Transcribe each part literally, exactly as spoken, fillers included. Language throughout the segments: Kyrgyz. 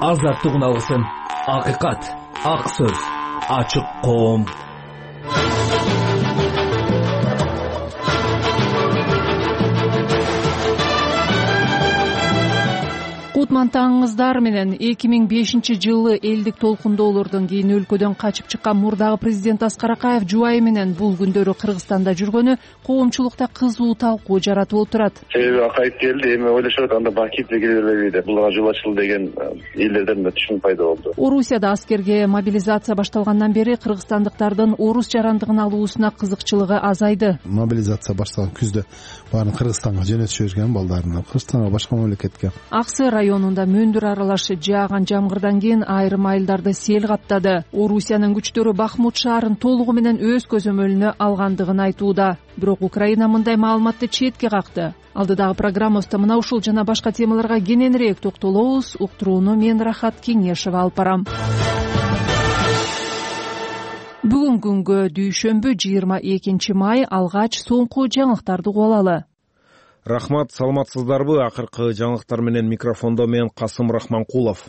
азаттык алгысын, акыйкат, ак сөз, ачык коом. Кутман таңыңыздар менен эки миң бешинчи жылы элдик толкундоолордон кийин өлкөдөн качып чыккан мурдагы президент Аскар Акаев жубайы менен бул күндөрү Кыргызстанда жүргөнү коомчулукта кызуу талкуу жаратып отурат. Себеби Акаев келди, эми ойлошот, анда Бакиев келе бербейби деп, булга жол ачылды деген элдерден да түшүнүк пайда болду. Орусияда аскерге мобилизация башталгандан бери кыргызстандыктардын орус жарандыгын алуусуна кызыкчылыгы азайды. Мобилизация башталган күздө баарын Кыргызстанга жөнөтүп жиберген балдарын, Кыргызстанга, башка мамлекетке. Аксы районунда мөндүр аралаш жааган жамгырдан кийин айрым айылдарды сел каптады. Орусиянын күчтөрү Бахмут шаарын толугу менен өз көзөмөлүнө алгандыгын айтууда. Бирок Украина мындай маалыматты четке какты. Алдыдагы программабызда мына ушул жана башка темаларга кененирээк токтолобуз. Уктурууну мен Рахат Кеңешева алып барам. Бүгүн күнгө дүйшөмбү жыйырма экинчи май, алгач соңку жаңылыктарды угуп алалы. Рахмат, саламатсыздарбы? Акыркы жаңылыктар менен микрофондо мен Касым Рахманкулов.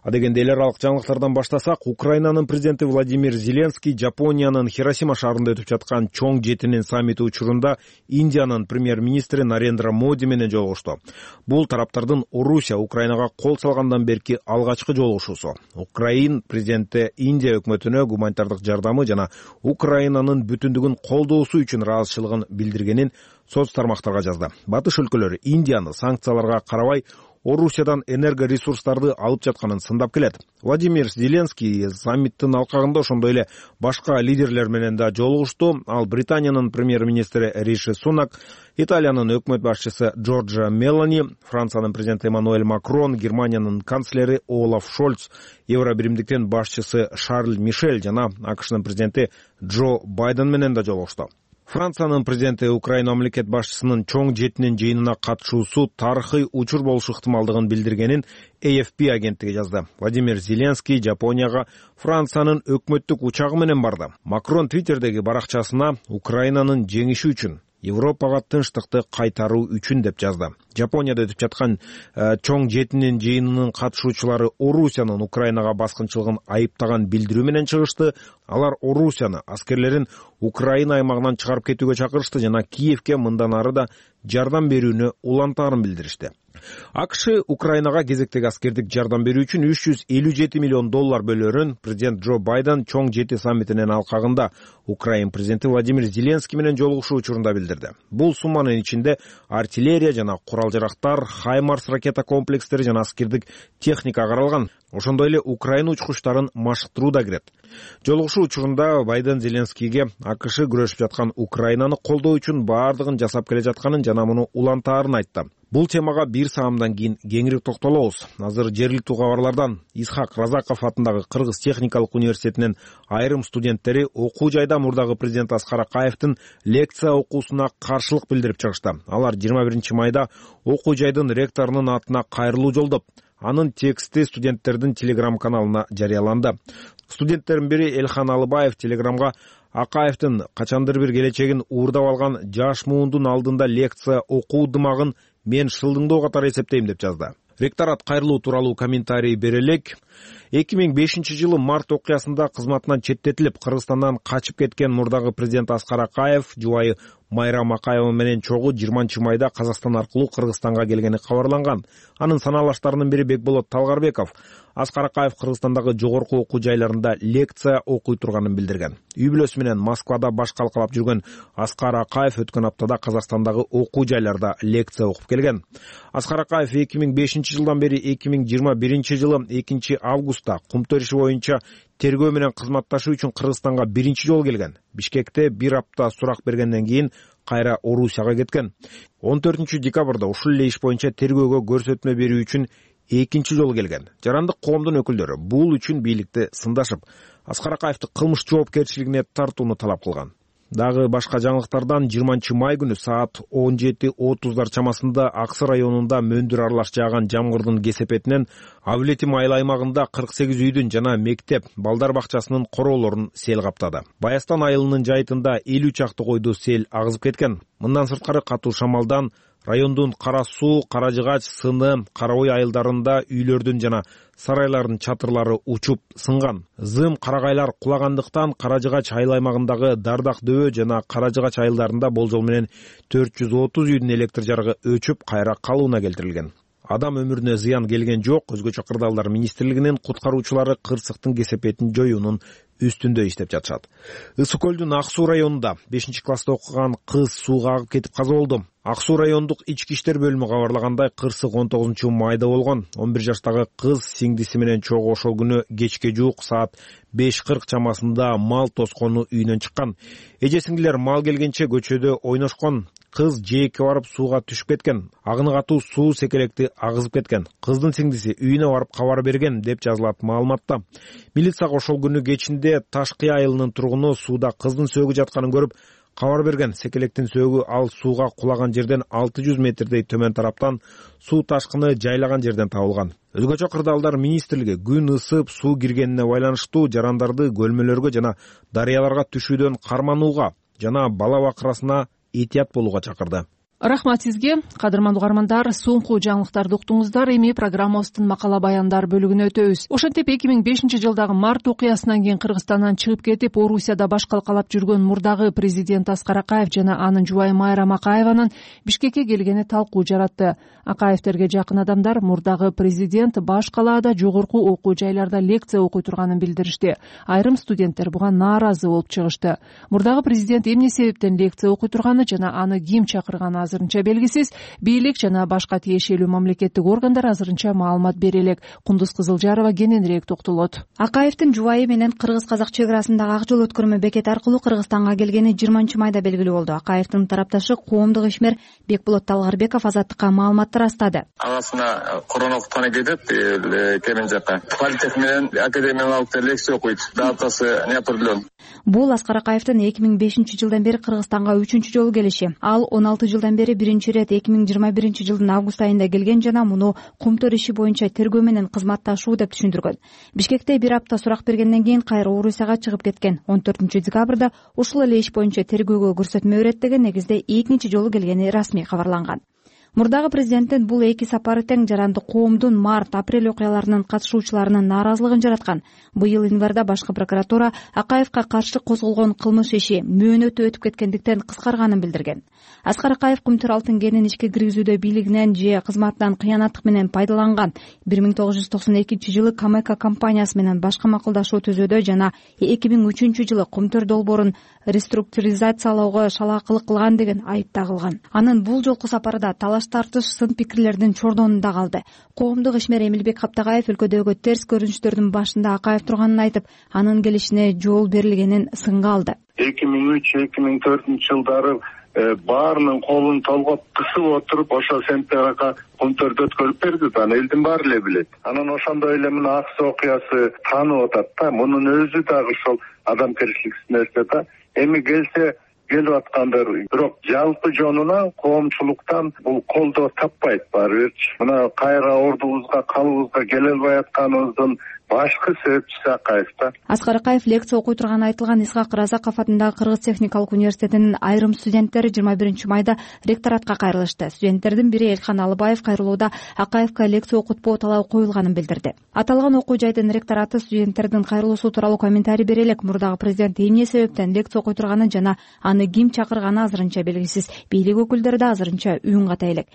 Адегенде эл аралык жаңылыктардан баштасак, Украинанын президенти Владимир Зеленский Жапониянын Хиросима шаарында өтүп жаткан чоң жетинин саммити учурунда Индиянын премьер-министри Нарендра Моди менен жолугушту. Бул тараптардын Орусия Украинага кол салгандан берки алгачкы жолугушуусу. Украин президенти Индия өкмөтүнө гуманитардык жардамы жана Украинанын бүтүндүгүн колдоосу үчүн ыраазычылыгын билдиргенин соц тармактарга жазды. Батыш өлкөлөрү Индияны санкцияларга карабай Орусиядан энергоресурстарды алып жатканын сындап келет. Владимир Зеленский саммиттин алкагында ошондой эле башка лидерлер менен да жолугушту. Ал Британиянын премьер-министри Риши Сунак, Италиянын өкмөт башчысы Джорджа Мелони, Франциянын президенти Эммануэль Макрон, Германиянын канцлери Олаф Шольц, Евробиримдиктин башчысы Шарль Мишель жана АКШнын президенти Джо Байден менен да жолугушту. Франциянын президенти Украина мамлекет башчысынын чоң жетинин жыйынына катышуусу тарыхый учур болушу ыктымалдыгын билдиргенин А Ф П агенттиги жазды. Владимир Зеленский Жапонияга Франциянын өкмөттүк учагы менен барды. Макрон Твиттердеги баракчасына Украинанын жеңиши үчүн, Европага тынчтыкты кайтаруу үчүн деп жазды. Жапонияда өтүп жаткан чоң жетинин жыйынынын катышуучулары Орусиянын Украинага баскынчылыгын айыптаган билдирүү менен чыгышты. Алар Орусияны аскерлерин Украина аймагынан чыгарып кетүүгө чакырышты жана Киевке мындан ары да жардам берүүнү улантаарын билдиришти. АКШ Украинага кезектеги аскердик жардам берүү үчүн үч жүз элүү жети миллион доллар бөлөрүн президент Джо Байден чоң жети саммитинин алкагында Украин президенти Владимир Зеленский менен жолугушуу учурунда билдирди. Бул сумманын ичинде артиллерия жана курал-жарактар, Хаймарс ракета комплекстери жана аскердик техника каралган. Ошондой эле Украина учкучтарын машыктыруу да кирет. Жолугушуу учурунда Байден Зеленскийге АКШ күрөшүп жаткан Украинаны колдоо үчүн баардыгын жасап келе жатканын жана муну улантаарын айтты. Бул темага бир саамдан кийин кеңири токтолобуз. Азыр жергиликтүү кабарлардан Исхак Разаков атындагы Кыргыз техникалык университетинин айрым студенттери окуу жайда мурдагы президент Аскар Акаевдин лекция окуусуна каршылык билдирип чыгышты. Алар жыйырма биринчи майда окуу жайдын ректорунун атына кайрылуу жолдоп, анын тексти студенттердин телеграм каналына жарыяланды. Студенттердин бири Элхан Алыбаев телеграмга Акаевдин качандыр бир келечегин уурдап алган жаш муундун алдында лекция окуу дымагын мен шылдыңдоо катары эсептейм деп жазды. Ректорат кайрылуу тууралуу комментарий бере элек. эки миң бешинчи жылы март окуясында кызматынан четтетилип, Кыргызстандан качып кеткен мурдагы президент Аскар Акаев жубайы Майрам Акаева менен чогуу жыйырманчы майда Казакстан аркылуу Кыргызстанга келгени кабарланган. Анын санаалаштарынын бири Бекболот Талгарбеков Аскар Акаев Кыргызстандагы жогорку окуу жайларында лекция окуй турганын билдирген. Үй бүлөсү менен Москвада баш калкалап жүргөн Аскар Акаев өткөн аптада Казакстандагы окуу жайларда лекция окуп келген. Аскар Акаев эки миң бешинчи жылдан бери эки миң жыйырма биринчи жылы экинчи августта кумтөр иши боюнча тергөө менен кызматташуу үчүн Кыргызстанга биринчи жолу келген. Бишкекте бир апта сурак бергенден кийин кайра Орусияга кеткен. он төртүнчү декабрда ушул эле иш боюнча тергөөгө көрсөтмө берүү үчүн экинчи жолу келген. Жарандык коомдун өкүлдөрү бул үчүн бийликти сындашып, Аскар Акаевди кылмыш жоопкерчилигине тартууну талап кылган. Дагы башка жаңылыктардан жыйырманчы май күнү саат он жети отуздар чамасында Аксы районунда мөндүр аралаш жааган жамгырдын кесепетинен Авлетим айыл аймагында кырк сегиз үйдүн жана мектеп, балдар бакчасынын короолорун сел каптады. Баястан айылынын жайытында элүү чакты койду сел агызып кеткен. Мындан сырткары катуу шамалдан райондун Кара Суу, Кара Жыгач, Сыны, Кара Ой айылдарында үйлөрдүн жана сарайлардын чатырлары учуп сынган. Зым карагайлар кулагандыктан Кара Жыгач айыл аймагындагы Дардак дөбө жана Кара Жыгач айылдарында болжол менен төрт жүз отуз үйдүн электр жарыгы өчүп кайра калыбына келтирилген. Адам өмүрүнө зыян келген жок. Өзгөчө кырдаалдар министрлигинин куткаруучулары кырсыктын кесепетин жоюунун үстүндө иштеп жатышат. Ысык көлдүн Ак Суу районунда бешинчи класста окуган кыз сууга агып кетип каза болду. Ак Суу райондук ички иштер бөлүмү кабарлагандай, кырсык он тогузунчу майда болгон. он бир жаштагы кыз сиңдиси менен чогуу ошол күнү кечке жуук саат беш кырк чамасында мал тоскону үйүнөн чыккан. Эже сиңдилер мал келгенче көчөдө ойношкон. Кыз жээкке барып сууга түшүп кеткен. Агыны катуу суу секелекти агызып кеткен. Кыздын сиңдиси үйүнө барып кабар берген деп жазылат маалыматта. Милицияга ошол күнү кечинде Ташкы айылынын тургуну сууда кыздын сөөгү жатканын көрүп кабар берген. Секелектин сөөгү ал сууга кулаган жерден алты жүз метрдей төмөн тараптан суу ташкыны жайлаган жерден табылган. Өзгөчө кырдаалдар министрлиги күн ысып суу киргенине байланыштуу жарандарды көлмөлөргө жана дарыяларга түшүүдөн карманууга жана бала бакырасына этият болууга чакырды. Рахмат сизге, кадырман угармандар. Соңку жаңылыктарды уктуңуздар. Эми программабыздын макала баяндар бөлүгүнө өтөбүз. Ошентип эки миң бешинчи жылдагы март окуясынан кийин Кыргызстандан чыгып кетип, Орусияда баш калкалап жүргөн мурдагы президент Аскар Акаев жана анын жубайы Майрам Акаеванын Бишкекке келгени талкуу жаратты. Акаевтерге жакын адамдар мурдагы президент баш калаада жогорку окуу жайларда лекция окуй турганын билдиришти. Айрым студенттер буга нааразы болуп чыгышты. Мурдагы президент эмне себептен лекция окуй турганы жана аны ким чакырганы азырынча белгисиз. Бийлик жана башка тиешелүү мамлекеттик органдар азырынча маалымат бере элек. Кундуз Кызылжарова кененирээк токтолот. Акаевдин жубайы менен кыргыз-казак чек арасындагы ак жол өткөрмө бекети аркылуу Кыргызстанга келгени жыйырманчы майда белгилүү болду. Акаевдин тарапташы коомдук ишмер Бекболот Талгарбеков Азаттыкка маалыматты растады. Агасына коронавирустан кетет, келин жакка политех менен академиялык лекция окуйт. Датасы не определен. Бул Аскар Акаевдин эки миң бешинчи жылдан бери Кыргызстанга үчүнчү жолу келиши. Ал он алты жылдан бери биринчи ирет эки миң жыйырма биринчи жылдын август айында келген жана муну Кумтөр иши боюнча тергөө менен кызматташуу деп түшүндүргөн. Бишкекте бир апта сурак бергенден кийин кайра Орусияга чыгып кеткен. он төртүнчү декабрда ушул эле иш боюнча тергөөгө көрсөтмө берет деген негизде экинчи жолу келгени расмий кабарланган. Мурдагы президенттин бул эки сапары тең жаранды коомдун март-апрель окуяларынын катышуучуларынын нааразылыгын жараткан. Быйыл январда башкы прокуратура Акаевка каршы козголгон кылмыш иши мөөнөтү өтүп кеткендиктен кыскарганын билдирген. Аскар Акаев Кумтөр алтын кенин ишке киргизүүдө бийлигинен же кызматынан кыянаттык менен пайдаланган. бир миң тогуз жүз токсон экинчи жылы Камека компаниясы менен башка макулдашуу түзүүдө жана эки миң үчүнчү жылы Кумтөр долбоорун реструктуризациялоого шалаакылык кылган деген айып тагылган. Анын бул жолку сапары да талаш тартыш сын пикирлердин чордонунда калды. Коомдук ишмер Эмилбек Каптагаев өлкөдөгү терс көрүнүштөрдүн башында Акаев турганын айтып, анын келишине жол берилгенин сынга алды. эки миң үч эки миң төртүнчү жылдары баарынын колун толгоп кысып отуруп ошо сентябрга Кумтөрдү өткөрүп берди да, элдин баары эле билет. Анан ошондой эле мына Ак Суу окуясы таанып атат да, мунун өзү дагы ошол адамгерчиликсиз нерсе да. Эми келсе келип аткандар, бирок жалпы жонуна коомчулуктан бул колдоо таппайт баары бирчи. Мына кайра ордубузга, калыбызга келе албай атканыбыздын башкы себепчиси Акаев да. Аскар Акаев лекция окуй турганы айтылган Исхак Разаков атындагы Кыргыз техникалык университетинин айрым студенттери жыйырма биринчи майда ректоратка кайрылышты. Студенттердин бири Элхан Алыбаев кайрылууда Акаевка лекция окутпоо талабы коюлганын билдирди. Аталган окуу жайдын ректораты студенттердин кайрылуусу тууралуу комментарий бере элек, мурдагы президент эмне себептен лекция окуй турганы жана аны ким чакырганы азырынча белгисиз. Бийлик өкүлдөрү да азырынча үн ката элек.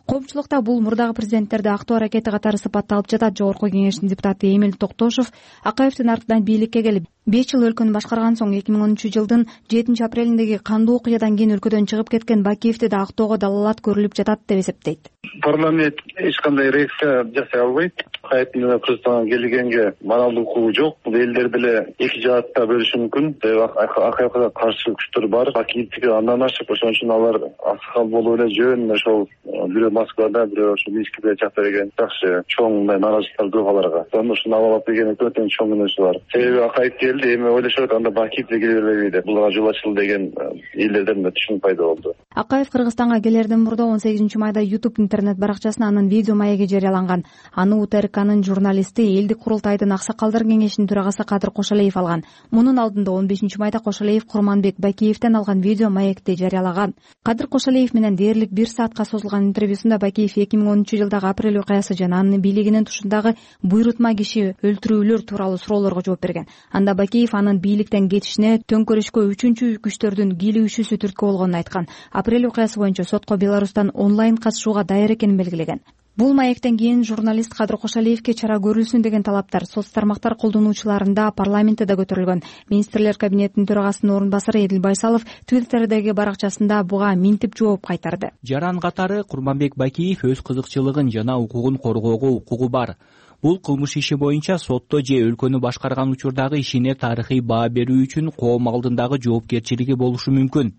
Коомчулукта бул мурдагы президенттерди актоо аракети катары сыпатталып жатат. Жогорку кеңештин депутаты Эмил Токтошов Акаевдин артынан бийликке келип, беш жыл өлкөнү башкарган соң эки миң онунчу жылдын жетинчи апрелиндеги кандуу окуядан кийин өлкөдөн чыгып кеткен Бакиевди да актоого далалат көрүлүп жатат деп эсептейт. Парламент эч кандай реакция жасай албайт. Акаевдин Кыргызстанга келгенге моралдык укугу жок. Бул элдер деле эки жаатта бөлүшү мүмкүн. Акаевга каршы күчтөр бар. Бакиевдики андан ашып, ошон үчүн алар аксакал болуп эле жөн ошол бирөө Москвада, бирөө ошо Минскиде чакта деген жакшы чоң нааразычылыктар көп аларга. Ошону алып алып деген өтө чоң мүнөзү бар. Себеби Акаев келди, эми ойлошот анда Бакиевди келе бербейби деп. Булга жол ачылды деген элдерден да түшүнүк пайда болду. Акаев Кыргызстанга келерден мурда он сегизинчи майда YouTube интернет интернет баракчасына анын видео маеги жарыяланган. Аны У Т Р К'нын журналисти элдик курултайдын аксакалдар кеңешинин төрагасы Кадыр Кошалиев алган. Мунун алдында он бешинчи майда Кошалиев Курманбек Бакиевден алган видео маекти жарыялаган. Кадыр Кошалиев менен дээрлик бир саатка созулган интервьюсунда Бакиев эки миң онунчу жылдагы апрель окуясы жана анын бийлигинин тушундагы буйрутма киши өлтүрүүлөр тууралуу суроолорго жооп берген. Анда Бакиев анын бийликтен кетишине төңкөрүшкө үчүнчү күчтөрдүн кийлигишүүсү түрткү болгонун айткан. Апрель окуясы боюнча сотко Беларустан онлайн катышууга даяр экенин белгилеген. Бул маектен кийин журналист Кадыр Кошалиевке чара көрүлсүн деген талаптар соц тармактар колдонуучуларында парламентте да көтөрүлгөн. Министрлер кабинетинин төрагасынын орун басары Эдил Байсалов Твиттердеги баракчасында буга минтип жооп кайтарды. Жаран катары Курманбек Бакиев өз кызыкчылыгын жана укугун коргоого укугу бар. Бул кылмыш иши боюнча сотто же өлкөнү башкарган учурдагы ишине тарыхый баа берүү үчүн коом алдындагы жоопкерчилиги болушу мүмкүн.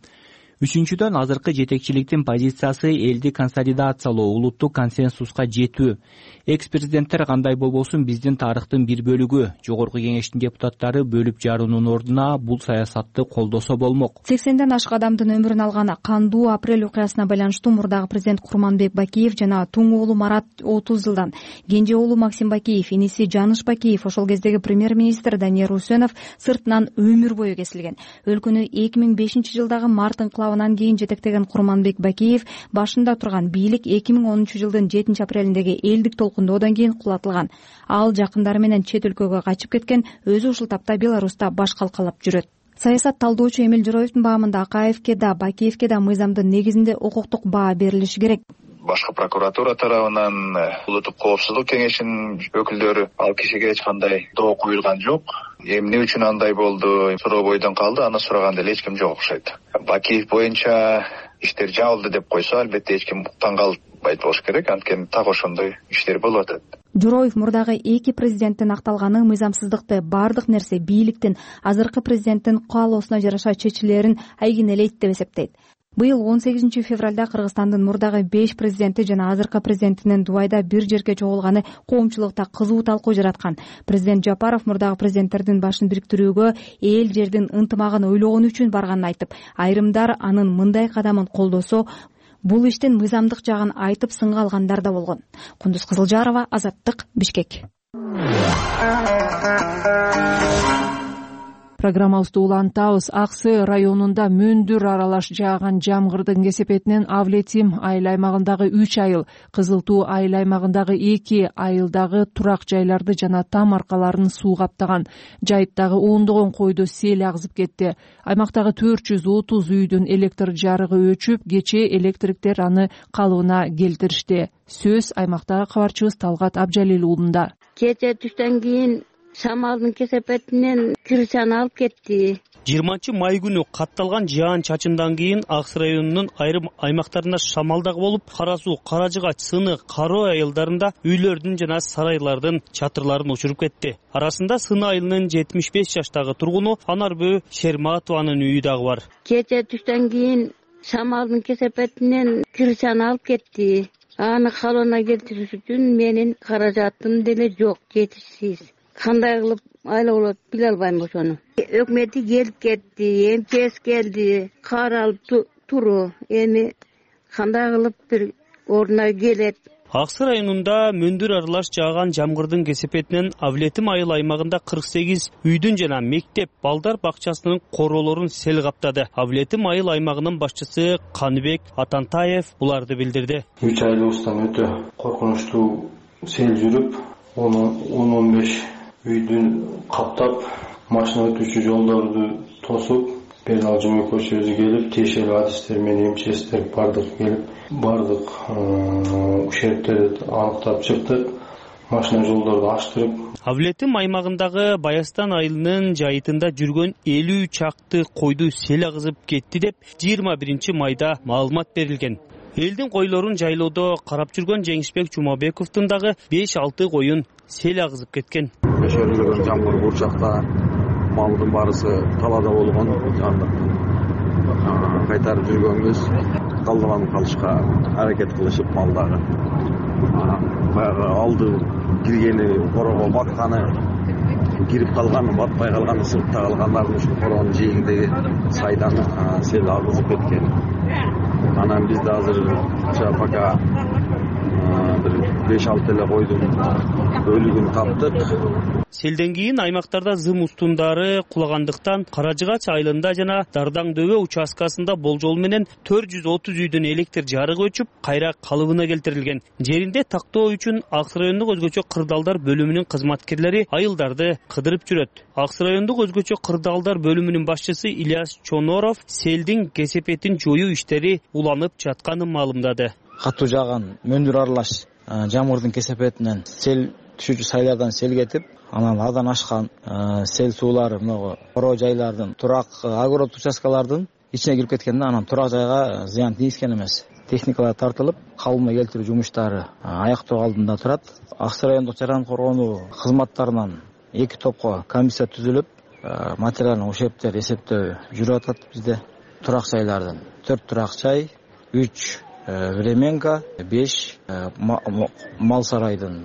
Үчүнчүдөн, азыркы жетекчиликтин позициясы элди консолидациялоо, улуттук консенсуска жетүү. Экс-президенттер кандай болбосун биздин тарыхтын бир бөлүгү. Жогорку кеңештин депутаттары бөлүп жаруунун ордуна бул саясатты колдосо болмок. сексенден ашык адамдын өмүрүн алган кандуу апрель окуясына байланыштуу мурдагы президент Курманбек Бакиев жана туң уулу Марат отуз жылдан, кенже уулу Максим Бакиев, иниси Жаныш Бакиев, ошол кездеги премьер-министр Даниэр Усенов сыртынан өмүр бою кесилген. Өлкөнү эки миң бешинчи жылдагы март инкылабынан кийин жетектеген Курманбек Бакиев башында турган бийлик эки миң онунчу жылдын жетинчи апрелиндеги элдик толкундоодон кийин кулатылган. Ал жакындары менен чет өлкөгө качып кеткен, өзү ушул тапта Беларуста баш калкалап жүрөт. Саясат талдоочу Эмил Жороевдин баамында Акаевке да Бакиевке да мыйзамдын негизинде укуктук баа берилиши керек. Башкы прокуратура тарабынан улуттук коопсуздук кеңешинин өкүлдөрү ал кишиге эч кандай доо куюлган жок. Эмне үчүн андай болду суроо бойдон калды, аны сураганда эле эч ким жок окшойт. Бакиев боюнча иштер жабылды деп койсо, албетте эч ким таң калбайт болуш керек, анткени так ошондой иштер болуп атат. Жороев мурдагы эки президенттин акталганы мыйзамсыздыкты баардык нерсе бийликтин азыркы президенттин каалоосуна жараша чечилерин айгинелейт деп эсептейт. Быйыл он сегизинчи февралда Кыргызстандын мурдагы беш президенти жана азыркы президентинин Дубайда бир жерге чогулганы коомчулукта кызуу талкуу жараткан. Президент Жапаров мурдагы президенттердин башын бириктирүүгө эл жердин ынтымагын ойлогон үчүн барганын айтып, айрымдар анын мындай кадамын колдосо, бул иштин мыйзамдык жагын айтып сынга алгандар да болгон. Кундуз Кызылжарова, Азаттык, Бишкек. Программабызды улантабыз. Аксы районунда мөндүр аралаш жааган жамгырдын кесепетинен Авлетим айыл аймагындагы үч айыл, Кызыл Туу айыл аймагындагы эки айылдагы турак жайларды жана там аркаларын суу каптаган. Жайыттагы ондогон койду сел агызып кетти. Аймактагы төрт жүз отуз үйдүн электр жарыгы өчүп, кечээ электриктер аны калыбына келтиришти. Сөз аймактагы кабарчыбыз Талгат Абжалил уулунда. Кечээ түштөн кийин шамалдын кесепетинен кирсен алып кетти. жыйырманчы май күнү катталган жаан чачындан кийин Аксы районунун айрым аймактарында шамалдак болуп, Кара Суу, Кара Жыгач, Сыны, Кароо айылдарында үйлөрдүн жана сарайлардын чатырларын учуруп кетти. Арасында Сыны айылынын жетимиш беш жаштагы тургуну Анарбөө Шерматованын үйү дагы бар. Кечээ түштөн кийин шамалдын кесепетинен кирсен алып кетти. Аны калыбына келтириш үчүн менин каражатым деле жок, жетишсиз. Кандай кылып айла болот биле албайм ошону. Өкмөтү келип кетти, МЧС келди, каралып туру. Эми кандай кылып бир ордуна келет. Аксы районунда мөндүр аралаш жааган жамгырдын кесепетинен Авлетим айыл аймагында кырк сегиз үйдүн жана мектеп, балдар бакчасынын короолорун сел каптады. Авлетим айыл аймагынын башчысы Каныбек Атантаев буларды билдирди. Үч айылыбыздан өтө коркунучтуу сел жүрүп, он он беш үйдүн каптап, машина өтүүчү жолдорду тосуп, Пернал Жумекошев өзү келип, тиешелүү адистер менен МЧСтер бардык келип, бардык ушерптерди аныктап чыктык. Машина жолдорду аштырып. Авлетим аймагындагы Баястан айылынын жайытында жүргөн элүү чакты койду сел агызып кетти деп жыйырма биринчи майда маалымат берилген. Элдин койлорун жайлоодо карап жүргөн Жеңишбек Жумабековдун дагы беш алты коюн сел агызып кеткен. Өшөрүлгөн жамгыр бурчакта малдын барысы талаада болгон, кайтарып жүргөнбүз. Калдыган калышка аракет кылышып малдагы. Баягы алды киргени корого батканы, кирип калганы, батпай калганы, сыртта калгандардын ушу короонун жээгиндеги сайдан сел агызып кеткен. Анан бизде азыр пока бир беш алты эле койдун өлүгүн таптык. Селден кийин аймактарда зым устундары кулагандыктан Кара Жыгач айылында жана Дардаң дөбө участкасында болжол менен төрт жүз отуз үйдүн электр жарыгы өчүп, кайра калыбына келтирилген. Жеринде тактоо үчүн Аксы райондук өзгөчө кырдаалдар бөлүмүнүн кызматкерлери айылдарды кыдырып жүрөт. Аксы райондук өзгөчө кырдаалдар бөлүмүнүн башчысы Ильяс Чоноров селдин кесепетин жоюу иштери уланып жатканын маалымдады. Катуу жааган мөндүр аралаш жамгырдын кесепетинен сел түшүүчү сайлардан сел кетип, анан адан ашкан сел суулары могу коро жайлардын, турак огород участкалардын ичине кирип кеткен да, анан турак жайга зыян тийишкен эмес. Техникалар тартылып, калыбына келтирүү жумуштары аяктоо алдында турат. Аксы райондук жаран коргонуу кызматтарынан эки топко комиссия түзүлүп, материалдык ушерптер эсептөө жүрүп атат бизде. Турак жайлардын төрт турак жай, үч временка, беш мал сарайдын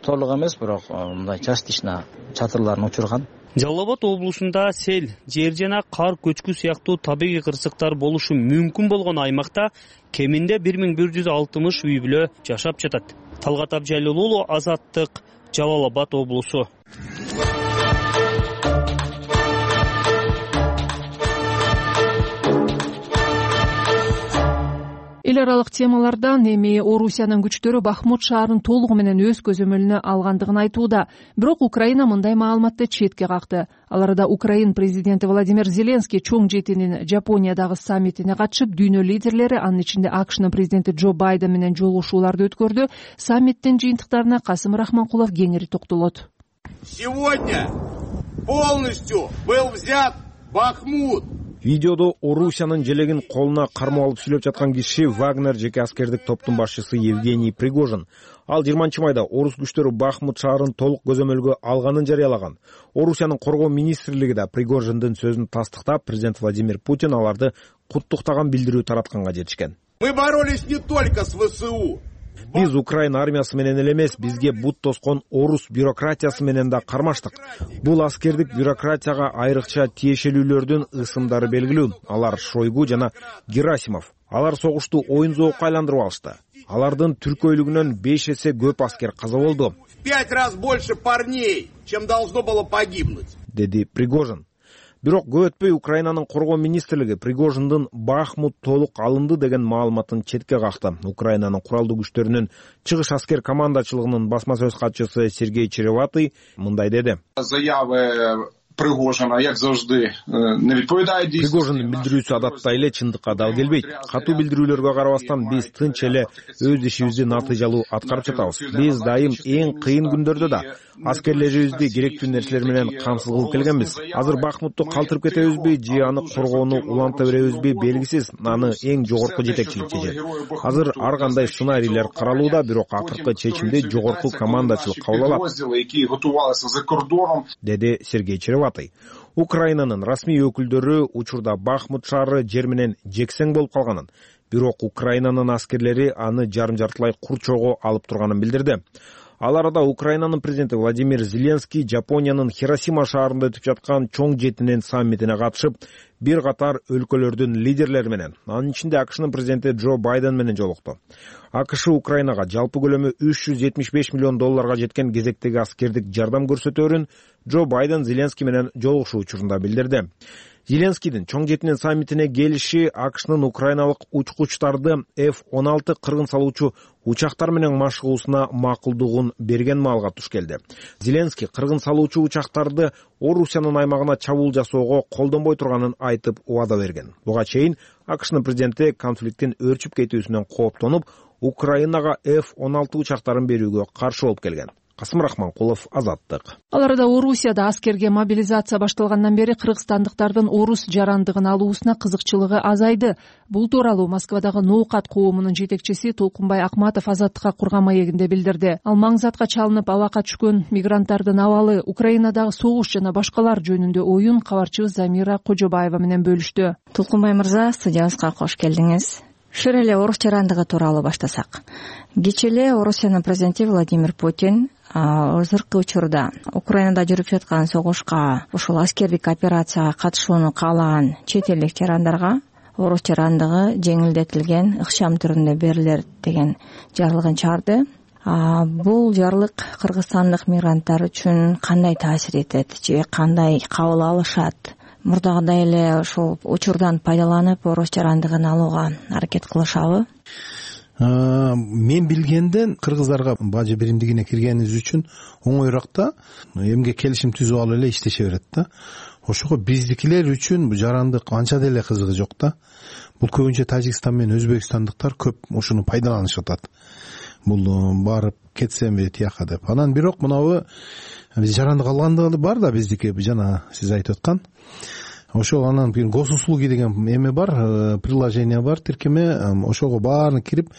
толук эмес, бирок мындай частично чатырларын учурган. Жалал Абад облусунда сел, жер жана кар көчкү сыяктуу табигый кырсыктар болушу мүмкүн болгон аймакта кеминде бир миң бир жүз алтымыш үй бүлө жашап жатат. Талгат Абжалил уулу, Азаттык, Жалал Абад облусу. Эл аралык темалардан эми Орусиянын күчтөрү Бахмут шаарын толугу менен өз көзөмөлүнө алгандыгын айтууда. Бирок Украина мындай маалыматты четке какты. Ал арада Украин президенти Владимир Зеленский чоң жетинин Жапониядагы саммитине катышып, дүйнө лидерлери, анын ичинде АКШнын президенти Джо Байден менен жолугушууларды өткөрдү. Саммиттин жыйынтыктарына Касым Рахманкулов кеңири токтолот. Сегодня полностью был взят Бахмут. Видеодо Орусиянын желегин колуна кармап алып сүйлөп жаткан киши Вагнер жеке аскердик топтун башчысы Евгений Пригожин. Ал жыйырманчы майда орус күчтөрү Бахмут шаарын толук көзөмөлгө алганын жарыялаган. Орусиянын коргоо министрлиги да Пригожиндин сөзүн тастыктап, президент Владимир Путин аларды куттуктаган билдирүү таратканга жетишкен. Мы боролись не только с ВСУ. Биз Украина армиясы менен эле эмес, бизге бут тоскон орус бюрократиясы менен да кармаштык. Бул аскердик бюрократияга айрыкча тиешелүүлөрдүн ысымдары белгилүү. Алар Шойгу жана Герасимов. Алар согушту оюн зоокко айландырып алышты. Алардын түркөйлүгүнөн беш эсе көп аскер каза болду. В пять раз больше парней, чем должно было погибнуть, деди Пригожин. Бирок көп өтпөй Украинанын коргоо министрлиги Пригожиндин Бахмут толук алынды деген маалыматын четке какты. Украинанын куралдуу күчтөрүнүн чыгыш аскер командачылыгынын басма сөз катчысы Сергей Череватый мындай деди. Заявы Пригожина, як завжди, не відповідає дійсності. Пригожиндин билдирүүсү адаттай эле чындыкка дал келбейт. Катуу билдирүүлөргө карабастан биз тынч эле өз ишибизди натыйжалуу аткарып жатабыз. Биз дайым эң кыйын күндөрдө да аскерлерибизди керектүү нерселер менен камсыз кылып келгенбиз. Азыр Бахмутту калтырып кетебизби же аны коргоону уланта беребизби белгисиз. Аны эң жогорку жетекчилик чечет. Азыр ар кандай сценарийлер каралууда, бирок акыркы чечимди жогорку командачылык кабыл алат, деди Сергей Череватый. Украинанын расмий өкүлдөрү учурда Бахмут шаары жер менен жексең болуп калганын, бирок Украинанын аскерлери аны жарым-жартылай курчоого алып турганын билдирди. Ал арада Украинанын президенти Владимир Зеленский Жапониянын Хиросима шаарында өтүп жаткан чоң жетинин саммитине катышып, бир катар өлкөлөрдүн лидерлери менен, анын ичинде АКШнын президенти Джо Байден менен жолукту. АКШ Украинага жалпы көлөмү үч жүз жетимиш беш миллион долларга жеткен кезектеги аскердик жардам көрсөтөөрүн Джо Байден Зеленский менен жолугушуу учурунда билдирди. Зеленскийдин чоң жетинин саммитине келиши АКШнын украиналык учкучтарды эф он алты кыргын салуучу учактар менен машыгуусуна макулдугун берген маалга туш келди. Зеленский кыргын салуучу учактарды Орусиянын аймагына чабуул жасоого колдонбой турганын айтып убада берген. Буга чейин АКШнын президенти конфликттин өрчүп кетүүсүнөн кооптонуп, Украинага эф он алты учактарын берүүгө каршы болуп келген. Касым Рахманкулов, Азаттык. Ал арада Орусияда аскерге мобилизация башталгандан бери кыргызстандыктардын орус жарандыгын алуусуна кызыкчылыгы азайды. Бул тууралуу Москвадагы Ноокат коомунун жетекчиси Толкунбай Акматов Азаттыкка курган маегинде билдирди. Ал маңзатка чалынып абакка түшкөн мигранттардын абалы, Украинадагы согуш жана башкалар жөнүндө оюн кабарчыбыз Замира Кожобаева менен бөлүштү. Толкунбай мырза, студиябызга кош келдиңиз. Шыр эле орус жарандыгы тууралуу баштасак. Кечээ эле Орусиянын президенти Владимир Путин азыркы учурда Украинада жүрүп жаткан согушка ушул аскердик операцияга катышууну каалаган чет элдик жарандарга оруч жарандыгы жеңилдетилген ыкчам түрүндө берилет деген жарлыгын чыгарды. Бул жарлык кыргызстандык мигранттар үчүн кандай таасир этет же кандай кабыл алышат? Мурдагыдай эле ошол учурдан пайдаланып оруч жарандыгын алууга аракет кылышабы? Мен билгенден кыргыздарга бажы биримдигине киргенибиз үчүн оңоюраак да, эмгек келишим түзүп алып эле иштеше берет да. Ошого биздикилер үчүн бул жарандык анча деле кызыгы жок да. Бул көбүнчө Тажикстан менен өзбекстандыктар көп ушуну пайдаланышып атат. Бул барып кетсемби тияка деп. Анан бирок мынабы биз жарандык алгандыгы бар да биздики, жана сиз айтып аткан. Ошол анан бир госуслуги деген эме бар, приложение бар, тиркеме. Ошого баарын кирип,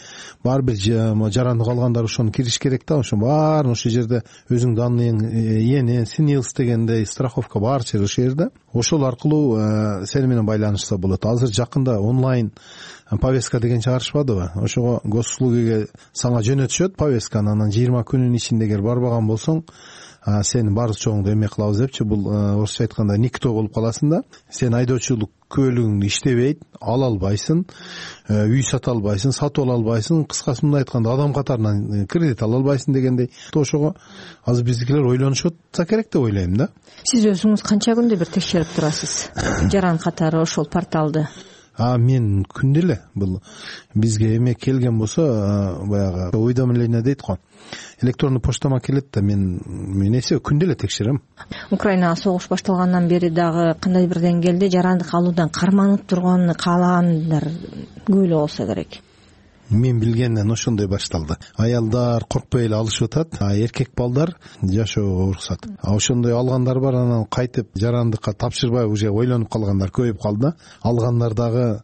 баары бир жарандык алгандар ошону кириш керек да. Ошо баарын ошол жерде өзүң данныйың, эне, СНИЛС дегендей страховка бар ошол жерде. Ошол аркылуу сени менен байланышса болот. Азыр жакында онлайн повестка деген чыгарышпадыбы? Ошого госуслугиге сага жөнөтүшөт повестканы, анан жыйырма күнүн ичинде эгер барбаган болсоң, сени баары чоңду эме кылабыз депчи. Бул орусча айтканда никто болуп каласың да. Сен айдоочулук көлүгүң иштебейт, ала албайсың, үй сата албайсың, сатып ала албайсың, кыскасы мындай айтканда адам катарынан кредит ала албайсың дегендей. Ошого азыр биздикилер ойлонушуп атса керек деп ойлойм да. Сиз өзүңүз канча күндө бир текшерип турасыз жаран катары ошол порталды? А мен күндө эле бул бизге эме келген болсо, баягы уведомление дейт го. Электрондуу почтама келет да, мен мен эсе күндө эле текшерем. Украинага согуш башталгандан бери дагы кандай бир деңгээлде жарандык алуудан карманып турганын каалагандар көп эле болсо керек. Мен билгенден ошондой башталды. Аялдар коркпой эле алышып атат, а эркек балдар жашоого уруксат. А ошондой алгандар бар, анан кайтып жарандыкка тапшырбай уже ойлонуп калгандар көбөйүп калды. Алгандар дагы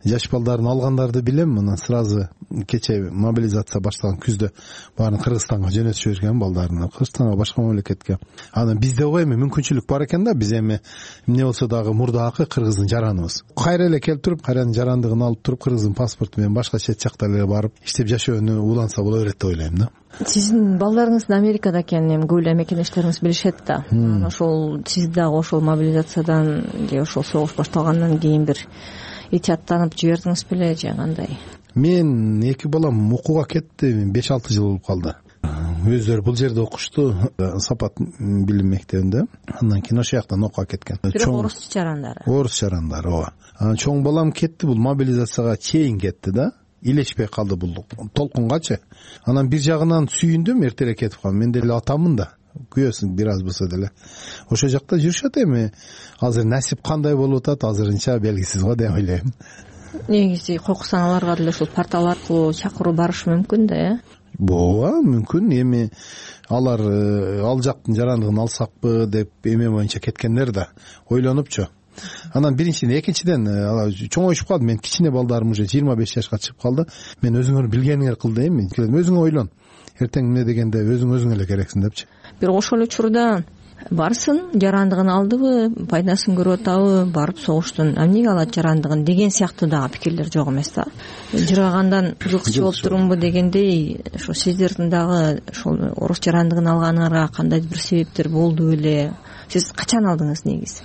жаш балдарын алгандарды билем. Мына сразу кече мобилизация башталган күздө баарын Кыргызстанга жөнөтүп жиберген балдарын, Кыргызстанга, башка мамлекетке. Анан бизде го эми мүмкүнчүлүк бар экен да, биз эми эмне болсо дагы мурдакы кыргыздын жараныбыз. Кайра эле келип туруп, кайранын жарандыгын алып туруп, кыргыздын паспорту менен башка чет жакта эле барып иштеп жашоону уланса боло берет деп ойлойм да. Сиздин балдарыңыздын Америкада экенин эми көп эле мекендештериңиз билишет да. Ошол сиз дагы ошол мобилизациядан же ошол согуш башталгандан кийин бир итияттанып жибердиңиз беле же кандай? Мен эки балам окууга кетти, беш алты жыл болуп калды. Өздөрү бул жерде окушту, Сапат билим мектебинде. Андан кийин ошол жактан окууга кеткен. Бирок орус жарандары. Орус жарандары, ооба. Анан чоң балам кетти, бул мобилизацияга чейин кетти да. Илешпей калды бул толкунгачы. Анан бир жагынан сүйүндүм, эртерээк кетип калдым. Мен деле атамын да. Күйөөсүң бир аз болсо деле. Ошол жакта жүрүшөт эми. Азыр насип кандай болуп атат, азырынча белгисиз го деп ойлойм. Негизи койкусаң аларга деле ушул портал аркылуу чакыруу барышы мүмкүн да, э? Ооба, мүмкүн. Эми алар ал жактын жарандыгын алсакпы деп эме боюнча кеткендер да ойлонупчу. Анан биринчиден, экинчиден чоңоюшуп калды. Мен кичине балдарым уже жыйырма беш жашка чыгып калды. Мен өзүңөр билгениңер кыл дейм. Өзүң ойлон. Эртең эмне дегенде өзүң өзүңө эле керексиң депчи. Бир ошол учурда барсын, жарандыгын алдыбы, пайдасын көрүп атабы, барып согуштун эмнеге алат жарандыгын деген сыяктуу дагы пикирлер жок эмес да. Жыргагандан жылкычы болуп турумбу дегендей, ошо сиздердин дагы ошол орус жарандыгын алганыңарга кандай бир себептер болду беле? Сиз качан алдыңыз негизи?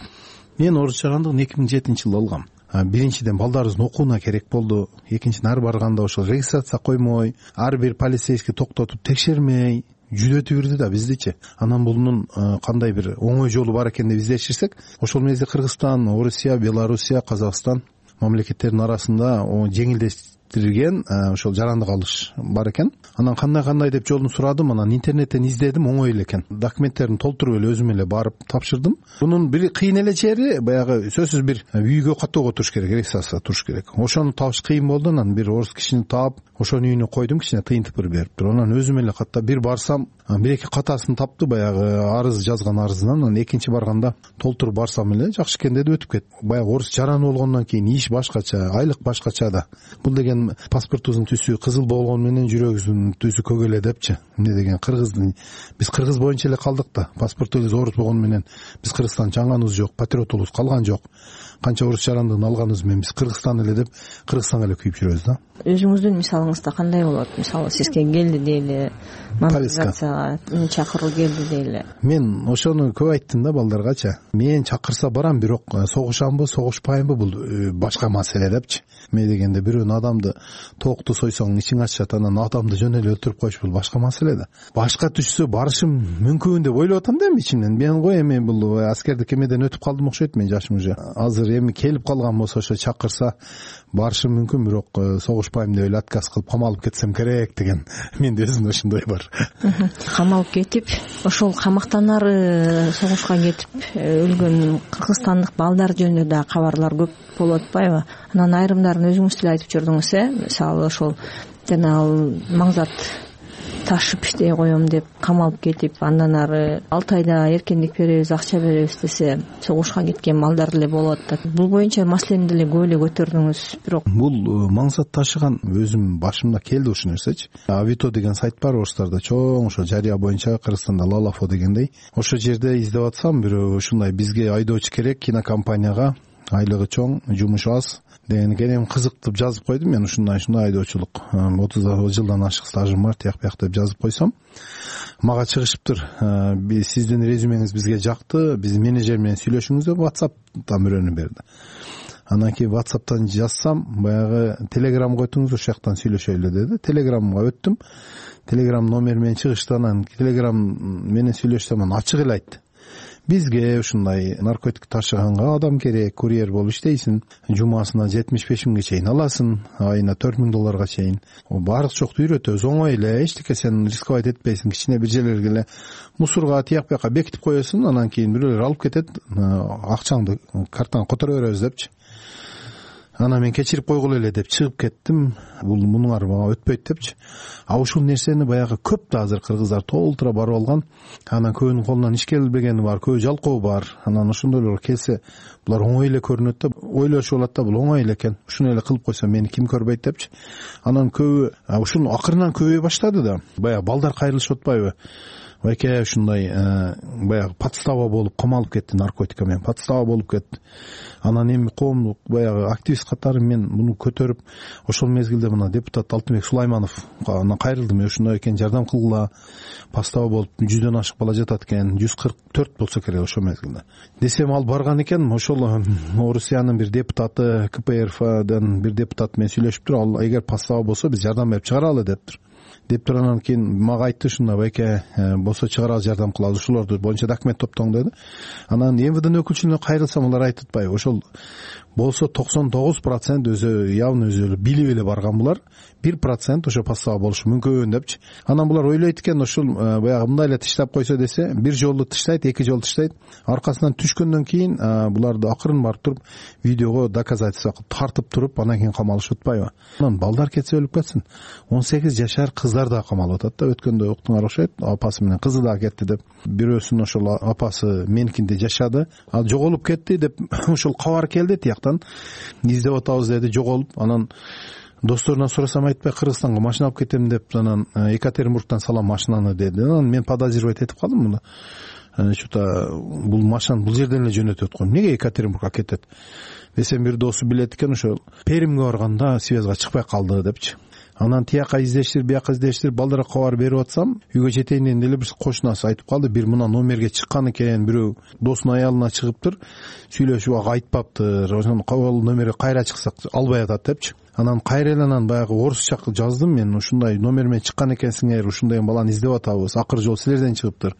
Мен орус жарандыгын эки миң жетинчи жылы алгам. Биринчиден балдарыбыздын окууна керек болду. Экинчиден ар барганда ошол регистрация коймой, ар бир полицейский токтотуп текшермей жүдөтүп бирди да биздичи. Анан бунун кандай бир оңой жолу бар экен деп издеширсек, ошол мезде Кыргызстан, Орусия, Белоруссия, Казакстан мамлекеттеринин арасында жеңилдетилген ошол жарандык алыш бар экен. Анан кандай кандай деп жолун сурадым, анан интернеттен издедим, оңой эле экен. Документтерин толтуруп эле өзүм эле барып тапшырдым. Бунун бир кыйын эле жери баягы сөзсүз бир үйгө каттоого туруш керек, регистрация туруш керек. Ошону табыш кыйын болду. Анан бир орус кишини таап, ошонун үйүнө койдум, кичине тыйынтып берип туруп. Анан өзүм эле каттап бир барсам, бир эки катасын тапты, баягы арыз жазган арызынан. Анан экинчи барганда толтуруп барсам эле жакшы экен деди, өтүп кетти. Баягы орус жараны болгондон кийин иш башкача, айлык башкача да. Бул деген паспортубуздун түсү кызыл болгону менен жүрөгүбүздүн түсү көк эле депчи. Эмне деген кыргыздын биз кыргыз боюнча эле калдык да. Паспортубуз орус болгону менен биз Кыргызстан чаңганыбыз жок, патриотубуз калган жок. Канча орус жарандыгын алганыбыз менен биз Кыргызстан эле деп Кыргызстанга эле күйүп жүрөбүз да. Өзүңүздүн мисалыңызда кандай болот? Мисалы сизге келди дейли, мобилизацияга мага чакыруу келди дейли. Мен ошону көп айттым да балдаргачы. Мен чакырса барам, бирок согушамбы, согушпаймбы бул башка маселе депчи. Мен дегенде бирөөнүн адамды токту сойсоң ичиң ачышат, анан адамды жөн эле өлтүрүп коюш бул башка маселе да. Башка түшсө барышым мүмкүн деп ойлоп атам да эми ичимден. Мен го эми бул аскердик эмеден өтүп калдым окшойт, мен жашым уже азыр эми келип калган болсо ошо чакырса барышым мүмкүн, бирок согушпайм деп эле отказ кылып камалып кетсем керек деген менде өзүмдө ошондой бар. Камалып кетип ошол камактанары согушка кетип өлгөн кыргызстандык балдар жөнүндө да кабарлар көп болуп атпайбы? Анан айрымдарын өзүңүз деле айтып жүрдүңүз, э мисалы ошол жанагы маңзат ташып иштей коем деп камалып кетип, андан ары алты айда эркиндик беребиз, акча беребиз десе согушка кеткен балдар деле болуп атат. Бул боюнча маселени деле көп эле көтөрдүңүз. Бирок бул маңзат ташыган өзүм башымда келди ушул нерсечи. Авито деген сайт бар орустарда, чоң ошо жарыя боюнча, Кыргызстанда Лалафо дегендей. Ошол жерде издеп атсам, бирөө ушундай бизге айдоочу керек, кинокомпанияга айлыгы чоң, жумушу аз деген экен. Эми кызыктып жазып койдум мен, ушундай ушундай айдоочулук, отуз жылдан ашык стажым бар, тияк бияк деп жазып койсом, мага чыгышыптыр. Сиздин резюмеңиз бизге жакты, биз менеджер менен сүйлөшүңүз деп WhatsApp'тан бирөөнү берди. Анан кийин WhatsApp'тан жазсам, баягы Telegram койтуңуз, ошол жактан сүйлөшөлү деди. Telegramга өттүм. Telegram номер менен чыгышты. Анан Telegram менен сүйлөшсөм, анан ачык эле айтты. Бизге ушундай наркотик ташыганга адам керек, курьер болуп иштейсиң, жумасына жетимиш беш миңге чейин аласың, айына төрт миң долларга чейин. Баардык жокто үйрөтөбүз, оңой эле, эчтеке сен рисковать этпейсиң, кичине бир жерлерге эле мусорга тияк бияка бекитип коесуң, анан кийин бирөөлөр алып кетет, акчаңды картаңа которо беребиз депчи. Анан мен кечирип койгула эле деп чыгып кеттим. Бул мунуңар мага өтпөйт депчи. А ушул нерсени баягы көп да азыр кыргыздар толтура барып алган. Анан көбүнүн колунан иш келбегени бар, көбү жалкоо бар. Анан ошондойлор келсе, булар оңой эле көрүнөт да, ойлошуп алат да, бул оңой эле экен. Ушуну эле кылып койсо мени ким көрбөйт депчи. Анан көбү ушуну акырынан көбөй баштады да. Баягы балдар кайрылышып атпайбы? Байке ушундай баягы подстава болуп камалып кетти, наркотика менен подстава болуп кетти. Анан эми коомдук баягы активист катары мен муну көтөрүп, ошол мезгилде мына депутат Алтынбек Сулайманов анан кайрылдым. Ушундай экен, жардам кылгыла, подстава болуп жүздөн ашык бала жатат экен, жүз кырк төрт болсо керек ошол мезгилде. Десем ал барган экен, ошол Орусиянын бир депутаты, ка пэ эр эфдан бир депутат менен сүйлөшүптүр. Ал эгер подстава болсо биз жардам берип чыгаралы дептир. Дептир анан кийин мага айтты, ушундай байке болсо чыгаралы, жардам кылалы, ушулорду боюнча документ топтоң деди. Анан эм вэ дэ өкүлчүлүгүнө кайрылсам, алар айтып атпайбы, ошол болсо токсон тогуз процент өзү явно өзү билип эле барган, булар бир процент ошо подстава болушу мүмкүн депчи. Анан булар ойлойт экен, ошол баягы мындай эле тыштап койсо десе, бир жолу тыштайт, эки жолу тыштайт. Аркасынан түшкөндөн кийин буларды акырын барып туруп видеого доказательство кылып тартып туруп, анан кийин камалышып атпайбы. Анан балдар кетсе өлүп кетсин. он сегиз жашар кыздар да камалып атат да. Өткөндө уктуңар окшойт, апасы менен кызы да кетти деп. Бирөөсүнүн ошол апасы меникинде жашады, ал жоголуп кетти деп ошол кабар келди тияктан. Издеп атабыз деди, жоголуп. Анан досторунан сурасам айтпай, Кыргызстанга машина алып кетем деп, анан Екатеринбургтан салам машинаны деди. Анан мен подозревать этип калдым муну. Что-то бул машинаны бул жерден эле жөнөтөт го. Эмнеге Екатеринбургга кетет? Десем, бир досу билет экен, ошо Перимге барганда связга чыкпай калды депчи. Анан тияка издештир, бияка издештир, балдарга кабар берип атсам, үйгө жетейин дегенде эле бир кошунасы айтып калды, бир мына номерге чыккан экен, бирөө досунун аялына чыгыптыр, сүйлөшүп ага айтпаптыр, ошону кабыл номерге кайра чыксак албай атат депчи. Анан кайра эле анан баягы орусча жаздым мен, ушундай номер менен чыккан экенсиңер, ушундай баланы издеп атабыз, акыркы жолу силерден чыгыптыр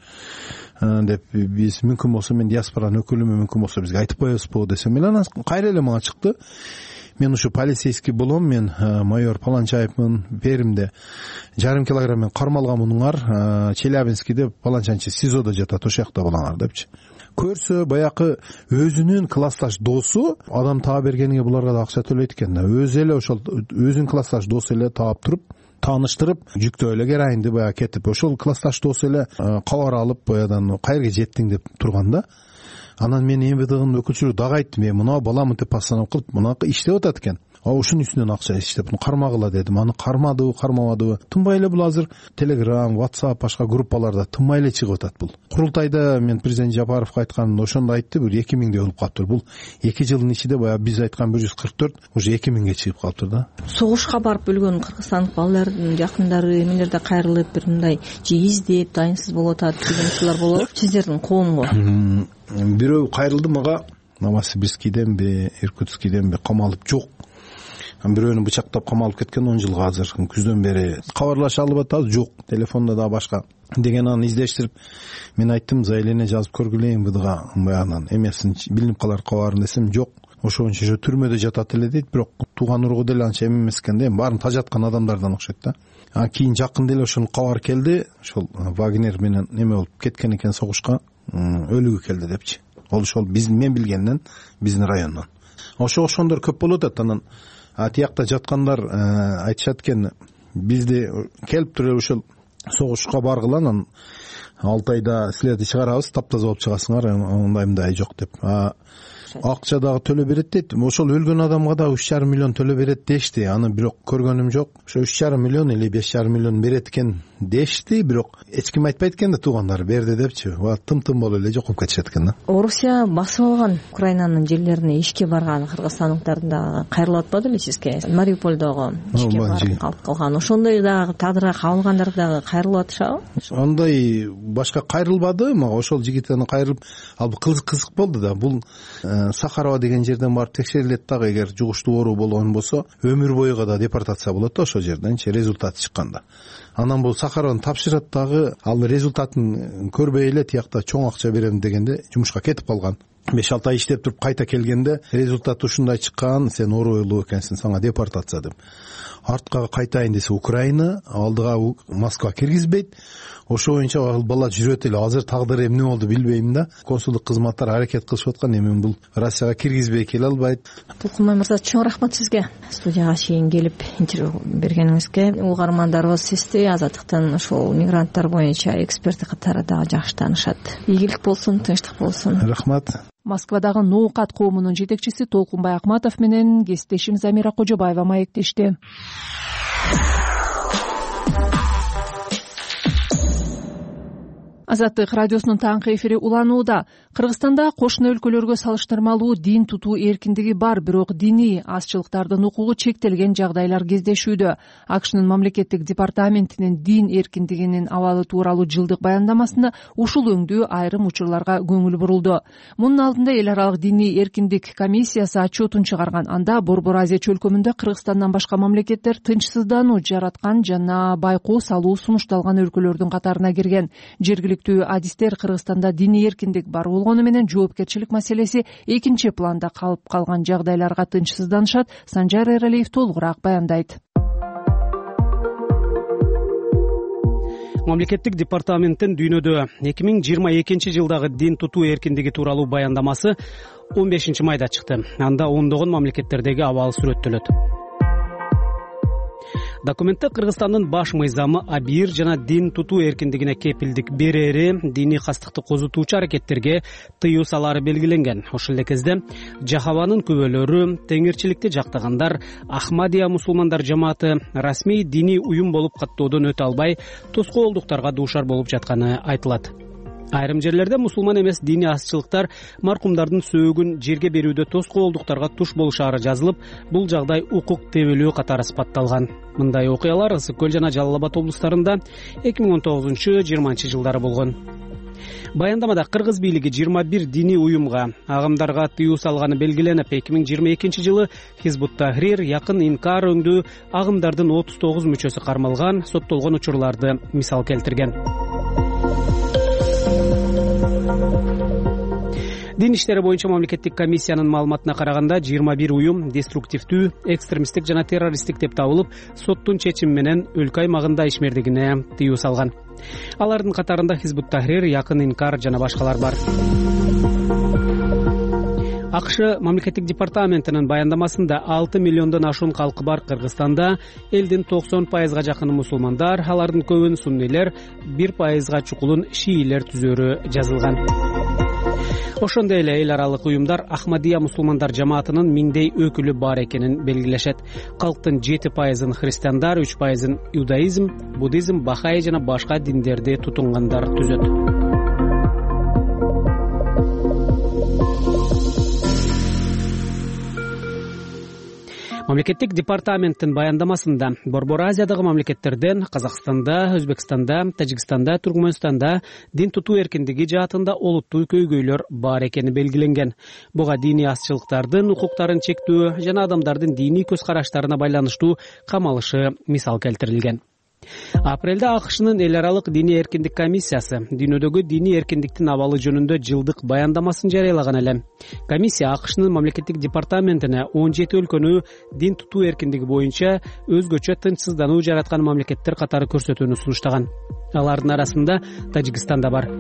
деп, биз мүмкүн болсо мен диаспоранын өкүлүмүн, мүмкүн болсо бизге айтып коесузбу десем, эле анан кайра эле мага чыкты. Мен ушу полицейский болом, мен майор Паланчаевмын, Перимде жарым килограмм менен кармалган мунуңар, Челябинскийде Паланчанчы СИЗОдо жатат, ошол жакта болаңар депчи. Көрсө баягы өзүнүн классташ досу адам таап бергениге буларга да акча төлөйт экен да. Өзү эле ошол өзүнүн классташ досу эле таап туруп, тааныштырып, жүктөө эле героинди баягы кетип, ошол классташ досу эле кабар алып, баягыдан кайерге жеттиң деп турган да. Анан мен эм вэ дэнын өкүлчүлүгү дагы айттым, мына баламын деп постанова кылып, мына иштеп атат экен. ушунун үстүнөн акча иштеп кармагыла дедим. Аны кармадыбы кармабадыбы тынбай эле бул азыр Telegram, WhatsApp, башка группаларда тынбай эле чыгып атат. Бул курултайда мен президент Жапаровго айтканымда ошондо айтты, бир эки миңдей болуп калыптыр. Бул эки жылдын ичинде баягы биз айткан бир жүз кырк төрт уже эки миңге чыгып калыптыр да. Согушка барып өлгөн кыргызстандык балдардын жакындары эмелерде кайрылып бир мындай же издеп дайынсыз болуп атат деген учурлар болот сиздердин коомго. Бирөө кайрылды мага, Новосибирскийденби, Иркутскийденби камалып жок. Бирөөнү бычактап камалып кеткен он жылга азыр күздөн бери кабарлаша алып атат, жок. Телефондо да башка деген аны издештирип мен айттым, заявление жазып көргүлөйүн быдыга, баягынан эмесин билинип калар кабарын десем, жок. Ошончо же түрмөдө жатат эле дейт, бирок тууган ургу деле анча эме эмес экен да, баарын тажаткан адамдардан окшойт да. А кийин жакында эле ошол кабар келди, ошол Вагнер менен эме болуп кеткен экен согушка, өлүгү келди депчи. Ол ошол биз мен билгенден биздин райондон. Ошо ошондор көп болуп атат. Анан тиякта жаткандар айтышат экен, бизди келип туруп ошол согушка баргыла, анан алты айда силерди чыгарабыз, таптаза болуп чыгасыңар, андай мындай жок деп. Акча дагы төлөп берет дейт. Ошол өлгөн адамга да үч жарым миллион төлөп берет дешти. Аны бирок көргөнүм жок. Ошо үч жарым миллион или беш жарым миллион берет экен дешти, бирок эч ким айтпайт экен да, туугандары берди депчи. Тым-тым болуп эле жокуп кетишет экен да. Орусия басып алган Украинанын жерлерине ишке барган кыргызстандыктардын дагы кайрылып атпады беле сизге? Мариуполдогу ишке барып калып калган. Ошондой дагы тагдырга кабылгандар дагы кайрылып атышабы? Андай башка кайрылбады, мага ошол жигиттен кайрылып, ал кызык болду да. Бул Сахарова деген жерден барып текшерилет дагы, эгер жугуштуу оору болгон болсо өмүр бойуга да депортация болот да ошол жерденчи результаты чыкканда. Анан бул Сахарованы тапшырат дагы, ал результатын көрбөй эле тиякта чоң акча берем дегенде жумушка кетип калган. беш алты ай иштеп туруп кайта келгенде результаты ушундай чыккан, сен оорулуу экенсиң, сага депортация деп. Артка кайтайын десе Украина, алдыга Москва киргизбейт. Ошо боюнча ал бала жүрөт эле. Азыр тагдыры эмне болду билбейм да. Консулдук кызматтар аракет кылышып аткан, эми бул Россияга киргизбей келе албайт. Тулкунбай мырза, чоң рахмат сизге. Студияга чейин келип интервью бергениңизге. Угармандарыбыз сизди Азаттыктын ошол мигранттар боюнча эксперти катары дагы жакшы таанышат. Ийгилик болсун, тынчтык болсун. Рахмат. Москвадагы Ноокат коомунун жетекчиси Толкунбай Акматов менен кесиптешим Замира Кожобаева маектешти. Азаттык радиосунун таңкы эфири уланууда. Кыргызстанда кошуна өлкөлөргө салыштырмалуу дин тутуу эркиндиги бар, бирок диний азчылыктардын укугу чектелген жагдайлар кездешүүдө. АКШнын мамлекеттик департаментинин дин эркиндигинин абалы тууралуу жылдык баяндамасында ушул өңдүү айрым учурларга көңүл бурулду. Мунун алдында эл аралык диний эркиндик комиссиясы отчетун чыгарган. Анда Борбор Азия чөлкөмүндө Кыргызстандан башка мамлекеттер тынчсыздануу жараткан жана байкоо салуу сунушталган өлкөлөрдүн катарына кирген. Жергиликтүү адистер Кыргызстанда диний эркиндик бар болгону менен жоопкерчилик маселеси экинчи планда калып калган жагдайларга тынчсызданышат. Санжар Эралиев толугураак баяндайт. Мамлекеттик департаменттин дүйнөдө эки миң жыйырма экинчи жылдагы дин тутуу эркиндиги тууралуу баяндамасы он бешинчи майда чыкты. Анда ондогон мамлекеттердеги абал сүрөттөлөт. Документте Кыргызстандын баш мыйзамы абийир жана дин тутуу эркиндигине кепилдик берери, диний кастыкты козутуучу аракеттерге тыюу салаары белгиленген. Ошол эле кезде Жахаванын күбөлөрү, теңирчиликти жактагандар, Ахмадия мусулмандар жамааты расмий диний уюм болуп каттоодон өтө албай, тоскоолдуктарга дуушар болуп жатканы айтылат. Айрым жерлерде мусулман эмес диний азчылыктар маркумдардын сөөгүн жерге берүүдө тоскоолдуктарга туш болушаары жазылып, бул жагдай укук тебелөө катары сыпатталган. Мындай окуялар Ысык Көл жана Жалал Абад облустарында эки миң он тогузунчу жыйырманчы жылдары болгон. Баяндамада кыргыз бийлиги жыйырма бир диний уюмга, агымдарга тыюу салганы белгиленип, эки миң жыйырма экинчи жылы Хизбут Тахрир, Якын Инкар өңдүү агымдардын отуз тогуз мүчөсү кармалган, соттолгон учурларды мисал келтирген. Дин иштери боюнча мамлекеттик комиссиянын маалыматына караганда жыйырма бир уюм деструктивдүү, экстремисттик жана террористтик деп табылып, соттун чечими менен өлкө аймагында ишмердигине тыюу салган. Алардын катарында Хизбут Тахрир, Якын Инкар жана башкалар бар. АКШ мамлекеттик департаментинин баяндамасында алты миллиондон ашуун калкы бар Кыргызстанда элдин токсон пайызга жакыны мусулмандар, алардын көбүн суннийлер, бир пайызга чукулун шиилер түзөрү жазылган. ошондой эле эл аралык уюмдар Ахмадия мусулмандар жамаатынын миңдей өкүлү бар экенин белгилешет. Калктын жети пайызын христиандар, үч пайызын иудаизм, буддизм, бахаи жана башка диндерди тутунгандар түзөт. Мамлекеттик департаменттин баяндамасында Борбор Азиядагы мамлекеттерден Казакстанда, Өзбекстанда, Тажикстанда, Туркмөнстанда дин тутуу эркиндиги жаатында олуттуу көйгөйлөр бар экени белгиленген. Буга диний азчылыктардын укуктарын чектөө жана адамдардын диний көз караштарына байланыштуу камалышы мисал келтирилген. Апрелде АКШнын эл аралык диний эркиндик комиссиясы дүйнөдөгү диний эркиндиктин абалы жөнүндө жылдык баяндамасын жарыялаган эле. Комиссия АКШнын мамлекеттик департаментине он жети өлкөнү дин тутуу эркиндиги боюнча өзгөчө тынчсыздануу жараткан мамлекеттер катары көрсөтүүнү сунуштаган. Алардын арасында Тажикстан да бар.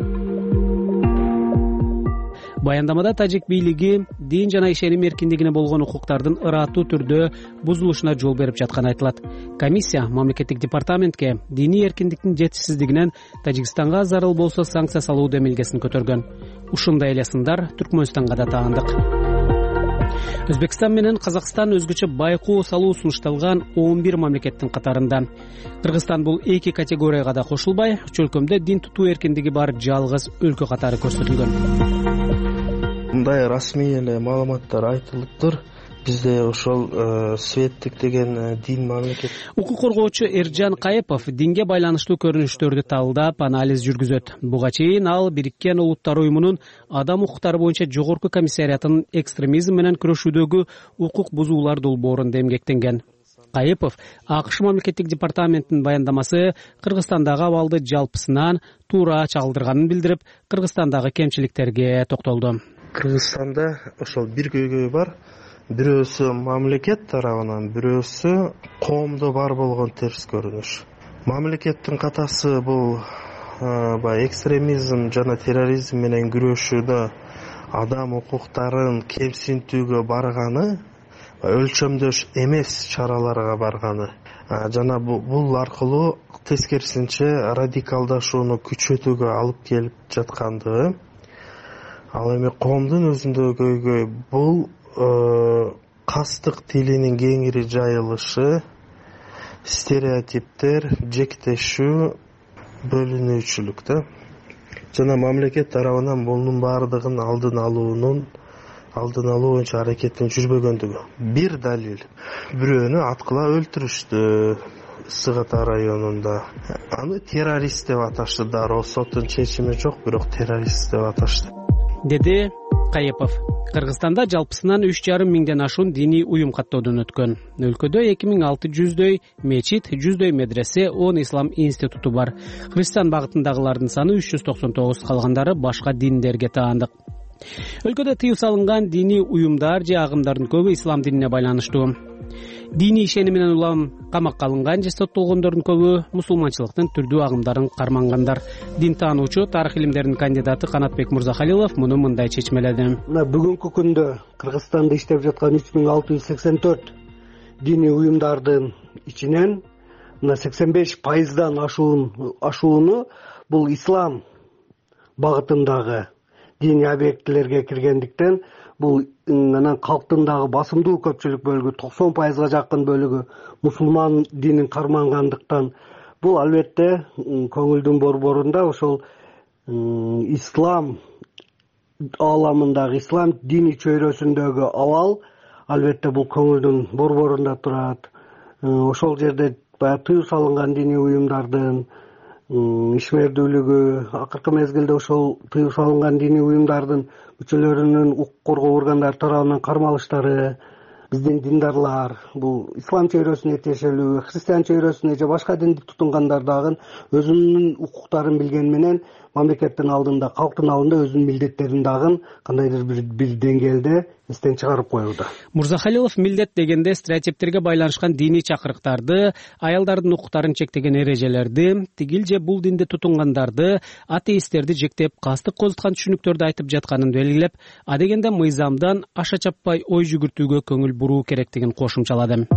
Баяндамада тажик бийлиги дин жана ишеним эркиндигине болгон укуктардын ыраттуу түрдө бузулушуна жол берип жатканы айтылат. Комиссия мамлекеттик департаментке диний эркиндиктин жетишсиздигинен Тажикстанга зарыл болсо санкция салуу демилгесин көтөргөн. Ушундай эле сындар Түркмөнстанга да таандык. Өзбекстан менен Казакстан өзгөчө байкоо салуу сунушталган он бир мамлекеттин катарында. Кыргызстан бул эки категорияга да кошулбай, үч өлкөмдө дин тутуу эркиндиги бар жалгыз өлкө катары көрсөтүлгөн. Мындай расмий эле маалыматтар айтылыптыр. Бизде ошол светтик деген дин мамлекет. Укук коргоочу Эржан Кайыпов динге байланыштуу көрүнүштөрдү талдап, анализ жүргүзөт. Буга чейин ал Бириккен Улуттар уюмунун адам укуктары боюнча жогорку комиссариятынын экстремизм менен күрөшүүдөгү укук бузуулар долбоорунда эмгектенген. Кайыпов АКШ мамлекеттик департаментинин баяндамасы Кыргызстандагы абалды жалпысынан туура чагылдырганын билдирип, Кыргызстандагы кемчиликтерге токтолду. Кыргызстанда ошол бир көйгөй бар. Бирөөсү мамлекет тарабынан, бирөөсү коомдо бар болгон терс көрүнүш. Мамлекеттин катасы бул баягы экстремизм жана терроризм менен күрөшүүдө адам укуктарын кемсинтүүгө барганы, өлчөмдөш эмес чараларга барганы жана бул аркылуу тескерисинче радикалдашууну күчөтүүгө алып келип жаткандыгы. Ал эми коомдун өзүндө көйгөй бул кастык тилинин кеңири жайылышы, стереотиптер, жектешүү, бөлүнүүчүлүк да. Жана мамлекет тарабынан мунун баардыгын алдын алуунун, алдын алуу боюнча аракеттин жүрбөгөндүгү. Бир далил. Бирөөнү аткыла өлтүрүштү Ысык Ата районунда. Аны террорист деп аташты, дароо соттун чечими жок, бирок террорист деп аташты. Деди Кайыпов. Кыргызстанда жалпысынан үч жарым миңден ашуун диний уюм каттоодон өткөн. Өлкөдө эки миң алты жүздөй мечит, жүздөй медресе, он ислам институту бар. Христиан багытындагылардын саны үч жүз токсон тогуз, калгандары башка диндерге таандык. Өлкөдө тыюу салынган диний уюмдар же агымдардын көбү ислам динине байланыштуу. Диний ишеними менен улам камакка алынган же соттолгондордун көбү мусулманчылыктын түрдүү агымдарын кармангандар. Дин таануучу, тарых илимдеринин кандидаты Канатбек Мурзахалилов муну мындай чечмеледи. Мына бүгүнкү күндө Кыргызстанда иштеп жаткан үч миң алты жүз сексен төрт диний уюмдардын ичинен мына сексен беш пайыздан ашуун ашууну бул ислам багытындагы диний объектилерге киргендиктен бул анан калктын дагы басымдуу көпчүлүк бөлүгү токсон пайызга жакын бөлүгү мусулман динин кармангандыктан бул албетте көңүлдүн борборунда ошол ислам ааламындагы ислам диний чөйрөсүндөгү абал албетте бул көңүлдүн борборунда турат. Ошол жерде баягы тыюу салынган диний уюмдардын ишмердүүлүгү, акыркы мезгилде ошол тыюу салынган диний уюмдардын мүчөлөрүнүн укук коргоо органдары тарабынан кармалыштары, биздин диндарлар бул ислам чөйрөсүнө тиешелүү, христиан чөйрөсүнө же башка динди тутунгандар дагы өзүнүн укуктарын билгени менен мамлекеттин алдында, калктын алдында өзүнүн милдеттерин дагы кандайдыр бир бир деңгээлде эстен чыгарып коюуда. Мурзахалилов милдет дегенде стереотиптерге байланышкан диний чакырыктарды, аялдардын укуктарын чектеген эрежелерди, тигил же бул динди тутунгандарды, атеисттерди жектеп, кастык козуткан түшүнүктөрдү айтып жатканын белгилеп, адегенде мыйзамдан аша чаппай ой жүгүртүүгө көңүл буруу керектигин кошумчалады.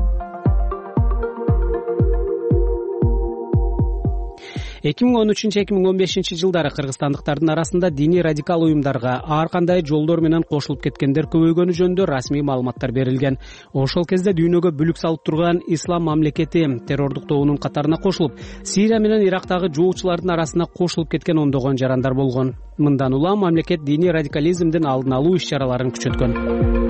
эки миң он үчүнчү эки миң он бешинчи жылдары кыргызстандыктардын арасында диний радикал уюмдарга ар кандай жолдор менен кошулуп кеткендер көбөйгөнү жөнүндө расмий маалыматтар берилген. Ошол кезде дүйнөгө бүлүк салып турган ислам мамлекети террордук тобунун катарына кошулуп, Сирия менен Ирактагы жоочулардын арасына кошулуп кеткен ондогон жарандар болгон. Мындан улам мамлекет диний радикализмдин алдын алуу иш-чараларын күчөткөн.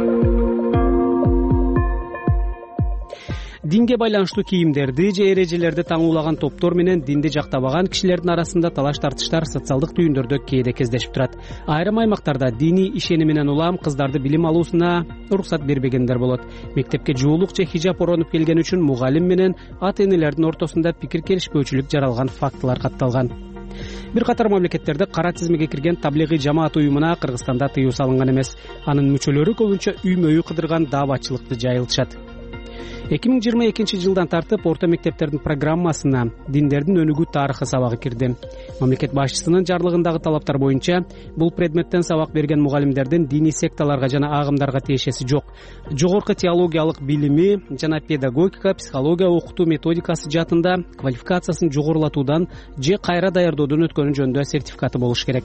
Динге байланыштуу кийимдерди же эрежелерди таңуулаган топтор менен динди жактабаган кишилердин арасында талаш тартыштар социалдык түйүндөрдө кээде кездешип турат. Айрым аймактарда дини ишени менен улам кыздарды билим алуусуна уруксат бербегендер болот. Мектепке жуулук же хижап оронуп келген үчүн мугалим менен ата энелердин ортосунда пикир келишпөөчүлүк жаралган фактылар катталган. Бир катар мамлекеттерде кара тизмеге кирген таблигый жамаат уюмуна Кыргызстанда тыюу салынган эмес. Анын мүчөлөрү көбүнчө үймө үй кыдырган дааватчылыкты жайылтышат. эки миң жыйырма экинчи жылдан тартып орто мектептердин программасына диндердин өнүгүү тарыхы сабагы кирди. Мамлекет башчысынын жарлыгындагы талаптар боюнча бул предметтен сабак берген мугалимдердин диний секталарга жана агымдарга тиешеси жок. Жогорку теологиялык билими жана педагогика, психология окутуу методикасы жаатында квалификациясын жогорулатуудан же кайра даярдоодон өткөнү жөнүндө сертификаты болуш керек.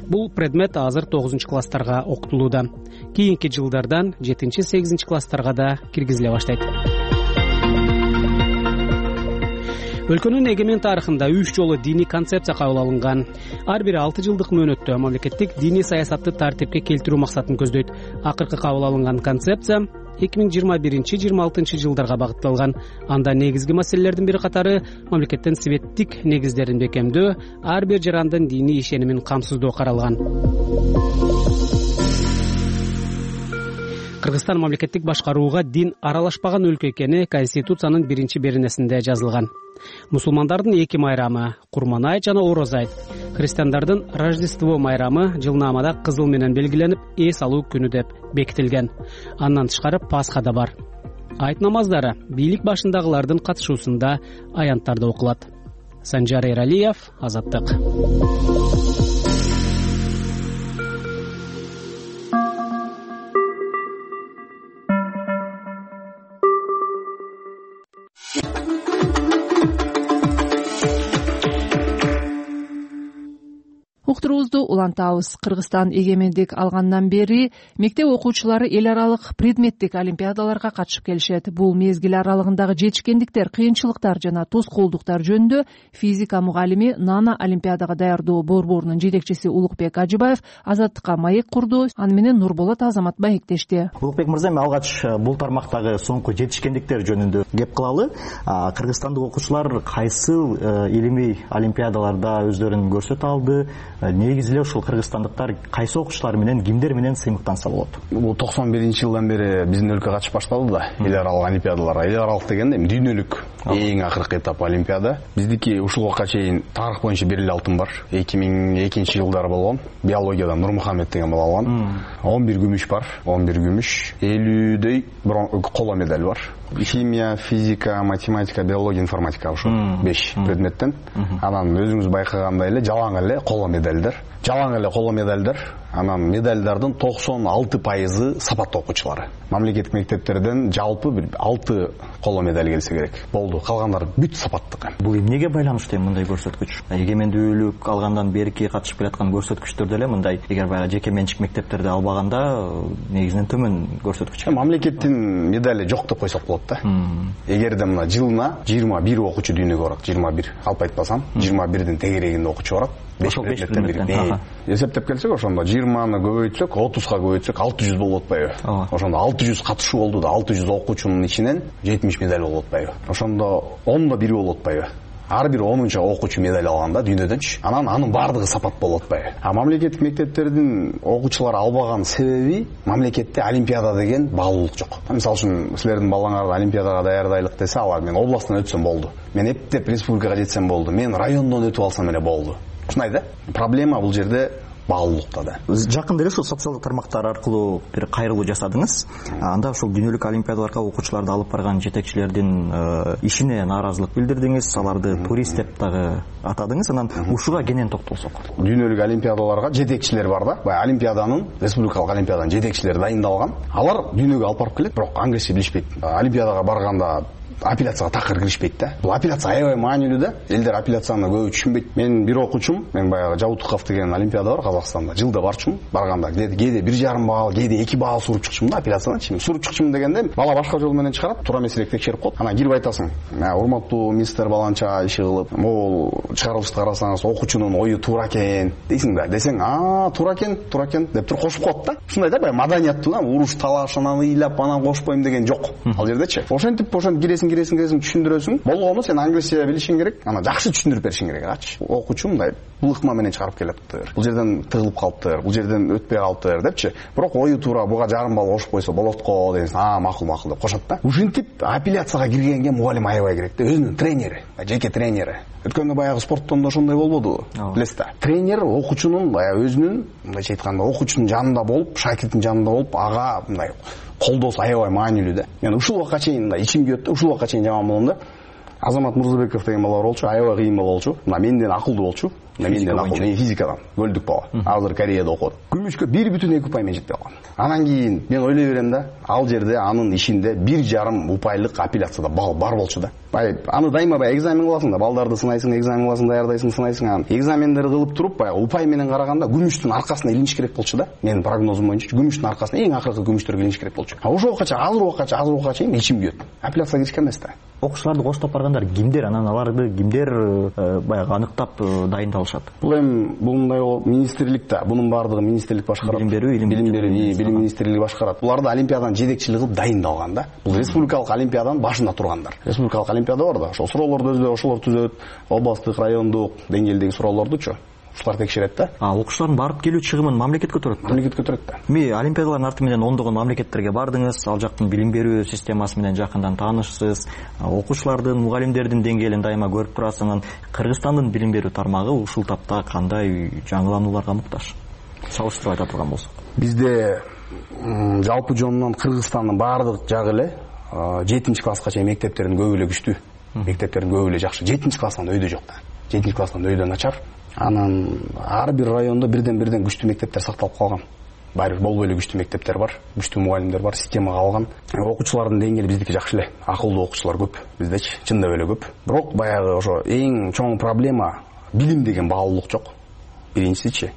Бул предмет азыр тогузунчу класстарга окутулууда. Кийинки жылдардан жетинчи сегизинчи класстарга да киргизиле баштайт. Өлкөнүн эгемен тарыхында үч жолу диний концепция кабыл алынган. Ар бири алты жылдык мөөнөттө мамлекеттик диний саясатты тартипке келтирүү максатын көздөйт. Акыркы кабыл алынган концепция эки миң жыйырма биринчи жыйырма алтынчы жылдарга багытталган. Анда негизги маселелердин бири катары мамлекеттин светтик негиздерин бекемдөө, ар бир жарандын диний ишенимин камсыздоо каралган. Кыргызстан мамлекеттик башкарууга дин аралашпаган өлкө экени Конституциянын биринчи беренесинде жазылган. Мусулмандардын эки майрамы — Курман айт жана Ороз айт, христиандардын Рождество майрамы жылнаамада кызыл менен белгиленип, эс алуу күнү деп бекитилген. Андан тышкары Пасха да бар. Айт намаздары бийлик башындагылардын катышуусунда аянттарда окулат. Санжар Эралиев, Азаттык. Уктуруубузду улантабыз. Кыргызстан эгемендик алгандан бери мектеп окуучулары эл аралык предметтик олимпиадаларга катышып келишет. Бул мезгил аралыгындагы жетишкендиктер, кыйынчылыктар жана тоскоолдуктар жөнүндө физика мугалими, Нана олимпиадага даярдоо борборунун жетекчиси Улукбек Ажыбаев Азаттыкка маек курду. Аны менен Нурболот Азамат маектешти. Улукбек мырза, мен алгач бул тармактагы соңку жетишкендиктер жөнүндө кеп кылалы. Кыргызстандык окуучулар кайсы илимий олимпиадаларда өздөрүн көрсөтө алды? Негизи эле ушул кыргызстандыктар кайсы окуучулар менен, кимдер менен сыймыктанса болот? Бул токсон биринчи жылдан бери биздин өлкө катышып баштады да, эл аралык олимпиадаларга. Эл аралык дегенде эми дүйнөлүк эң акыркы этап олимпиада. Биздики ушул убакка чейин тарых боюнча бир эле алтын бар. эки миң экинчи жылдары болгон. Биологиядан Нурмухаммед деген бала алган. он бир күмүш бар, он бир күмүш, элүүдөй коло медаль бар. Химия, физика, математика, биология, информатика ошо беш предметтен. Анан өзүңүз байкагандай эле жалаң эле коло медальдар. Жалаң эле коло медальдар. Анан медальдардын токсон алты пайызы сапаттуу окуучулары. Мамлекеттик мектептерден жалпы бир алты коло медаль келсе керек. Болду. Калгандары бүт сапаттык. Бул эмнеге байланыштуу мындай көрсөткүч? Эгемендүүлүк алгандан берки катышып келаткан көрсөткүчтөр деле мындай, эгер баягы жеке менчик мектептерде албаганда негизинен төмөн көрсөткүч. Мамлекеттин медали жок деп койсок болот да. Эгерде мына жылына жыйырма бир окуучу дүйнөгө барат, жыйырма бир, алып айтпасам, жыйырма бирдин тегерегинде окуучу барат. беш предметтен эсептеп келсек, ошондо жыйырманы көбөйтсөк, отузга көбөйтсөк алты жүз болуп атпайбы? Ошондо алты жүз катышуу болду да, алты жүз окуучунун ичинен жетимиш медаль болуп атпайбы? Ошондо ондо бири болуп атпайбы? Ар бир онунчу окуучу медаль алганда дүйнөдөнчү, анан анын баардыгы сапат болуп атпайбы? А мамлекеттик мектептердин окуучулары албаган себеби мамлекетте олимпиада деген баалуулук жок. Мисалы үчүн силердин балаңарды олимпиадага даярдайлык десе, алар мен областтан өтсөм болду. Мен эптеп республикага жетсем болду. Мен райондон өтүп алсам эле болду. Ушундай да? Проблема бул жерде баалуулукта да. Жакында эле ушул социалдык тармактар аркылуу бир кайрылуу жасадыңыз. Анда ушул дүйнөлүк олимпиадаларга окуучуларды алып барган жетекчилердин ишине нааразылык билдирдиңиз, аларды турист деп дагы атадыңыз. Анан ушуга кенен токтолсок. Дүйнөлүк олимпиадаларга жетекчилер бар да. Баягы олимпиаданын, республикалык олимпиаданын жетекчилери дайындалган. Алар дүйнөгө алып барып келет, бирок англисче билишпейт. Олимпиадага барганда апелляцияга такыр киришпейт да. Бул апелляция аябай маанилүү да. Элдер апелляцияны көбү түшүнбөйт. Мен бир окуучум, мен баягы Жабутуков деген олимпиада бар Казакстанда. Жылда барчумун. Барганда кээде бир жарым балл, кээде эки балл суруп чыкчумун да апелляциядан. Суруп чыкчумун дегенде бала башка жол менен чыгарат, туура эмесирээк текшерип коет. Анан кирип айтасың: "Урматтуу мистер баланча иши кылып, могул чыгарылышты карасаңыз окуучунун ою туура экен" дейсиң да. Десең: "А, туура экен, туура экен" деп туруп кошуп коет да. Ушундай да, баягы маданияттуу да, уруш талаш анан ыйлап анан кошпойм деген жок. Ал жердечи. Ошентип, ошентип киресиң, киресиң, киресиң, түшүндүрөсүң. Болгону сен англисче билишиң керек. Анан жакшы түшүндүрүп беришиң керек. Ачы. Окуучу мындай булыкма менен чыгарып келептир. Бул жерден тыгылып калыптыр, бул жерден өтпөй калыптыр депчи. Бирок ою туура, буга жарым балл кошуп койсо болот го дейсиң. А, макул, макул деп кошот да. Ушинтип апелляцияга киргенге мугалим аябай керек да. Өзүнүн тренери, жеке тренери. Өткөндө баягы спорттон да ошондой болбодубу? Билесиз да. Тренер окуучунун баягы өзүнүн, мындайча айтканда, окуучунун жанында болуп, шакирттин жанында болуп, ага мындай колдоосу аябай маанилүү да. Мен ушул убакка чейин мындай ичим күйөт да, ушул убакка чейин жаман болом да. Азамат Мырзабеков деген бала болчу, аябай кыйын бала болчу. Мына менден акылдуу болчу. Менден акылдуу, мен физикадан, көлдүк бала. Азыр Кореяда окуп. Күмүшкө бир бүтүн эки упай менен жетип калган. Анан кийин мен ойлой берем да, ал жерде анын ишинде бир жарым упайлык апелляцияда балл бар болчу да. Бай, аны дайыма бай экзамен кыласың да, балдарды сынайсың, экзамен кыласың, даярдайсың, сынайсың. Анан экзамендерди кылып туруп, бай упай менен караганда күмүштүн аркасына илиниш керек болчу да. Менин прогнозум боюнча күмүштүн аркасына, эң акыркы күмүштөргө илиниш керек болчу. А ошол убакка, азыр убакка, азыр убакка чейин ичим күйөт. Апелляцияга киришкен эмес да. Окуучуларды коштоп баргандар кимдер, анан аларды кимдер баягы аныктап дайындалышат? Бул эми бул мындай министрликте, бунун баардыгы министрлик башкарат. Билим берүү, илим берүү, билим министрлиги башкарат. Буларды олимпиаданын жетекчилиги кылып дайындалган да. Бул республикалык олимпиаданын башында тургандар. Республикалык олимпиада бар да, ошол суроолорду өзү ошолор түзөт, областтык, райондук деңгээлдеги суроолордучу. Ушулар текшерет да. А окуучулардын барып келүү чыгымын мамлекет көтөрөт. Мамлекет көтөрөт да. Эми олимпиадалардын арты менен ондогон мамлекеттерге бардыңыз, ал жактын билим берүү системасы менен жакындан таанышсыз, окуучулардын, мугалимдердин деңгээлин дайыма көрүп турасыз. Анан Кыргызстандын билим берүү тармагы ушул тапта кандай жаңыланууларга муктаж? Салыштырып айта турган болсок. Бизде жалпы жонунан Кыргызстандын баардык жагы эле жетинчи класска чейин мектептердин көбү эле күчтүү. Мектептердин көбү эле жакшы. жетинчи класстан өйдө жок да. жетинчи класстан өйдө начар. Анан ар бир райондо бирден-бирден күчтүү мектептер сакталып калган. Баары бир болбой эле күчтүү мектептер бар, күчтүү мугалимдер бар, система калган. Окуучулардын деңгээли биздики жакшы эле. Акылдуу окуучулар көп биздечи, чындап эле көп. Бирок баягы ошо эң чоң проблема билим деген баалуулук жок. Биринчисичи.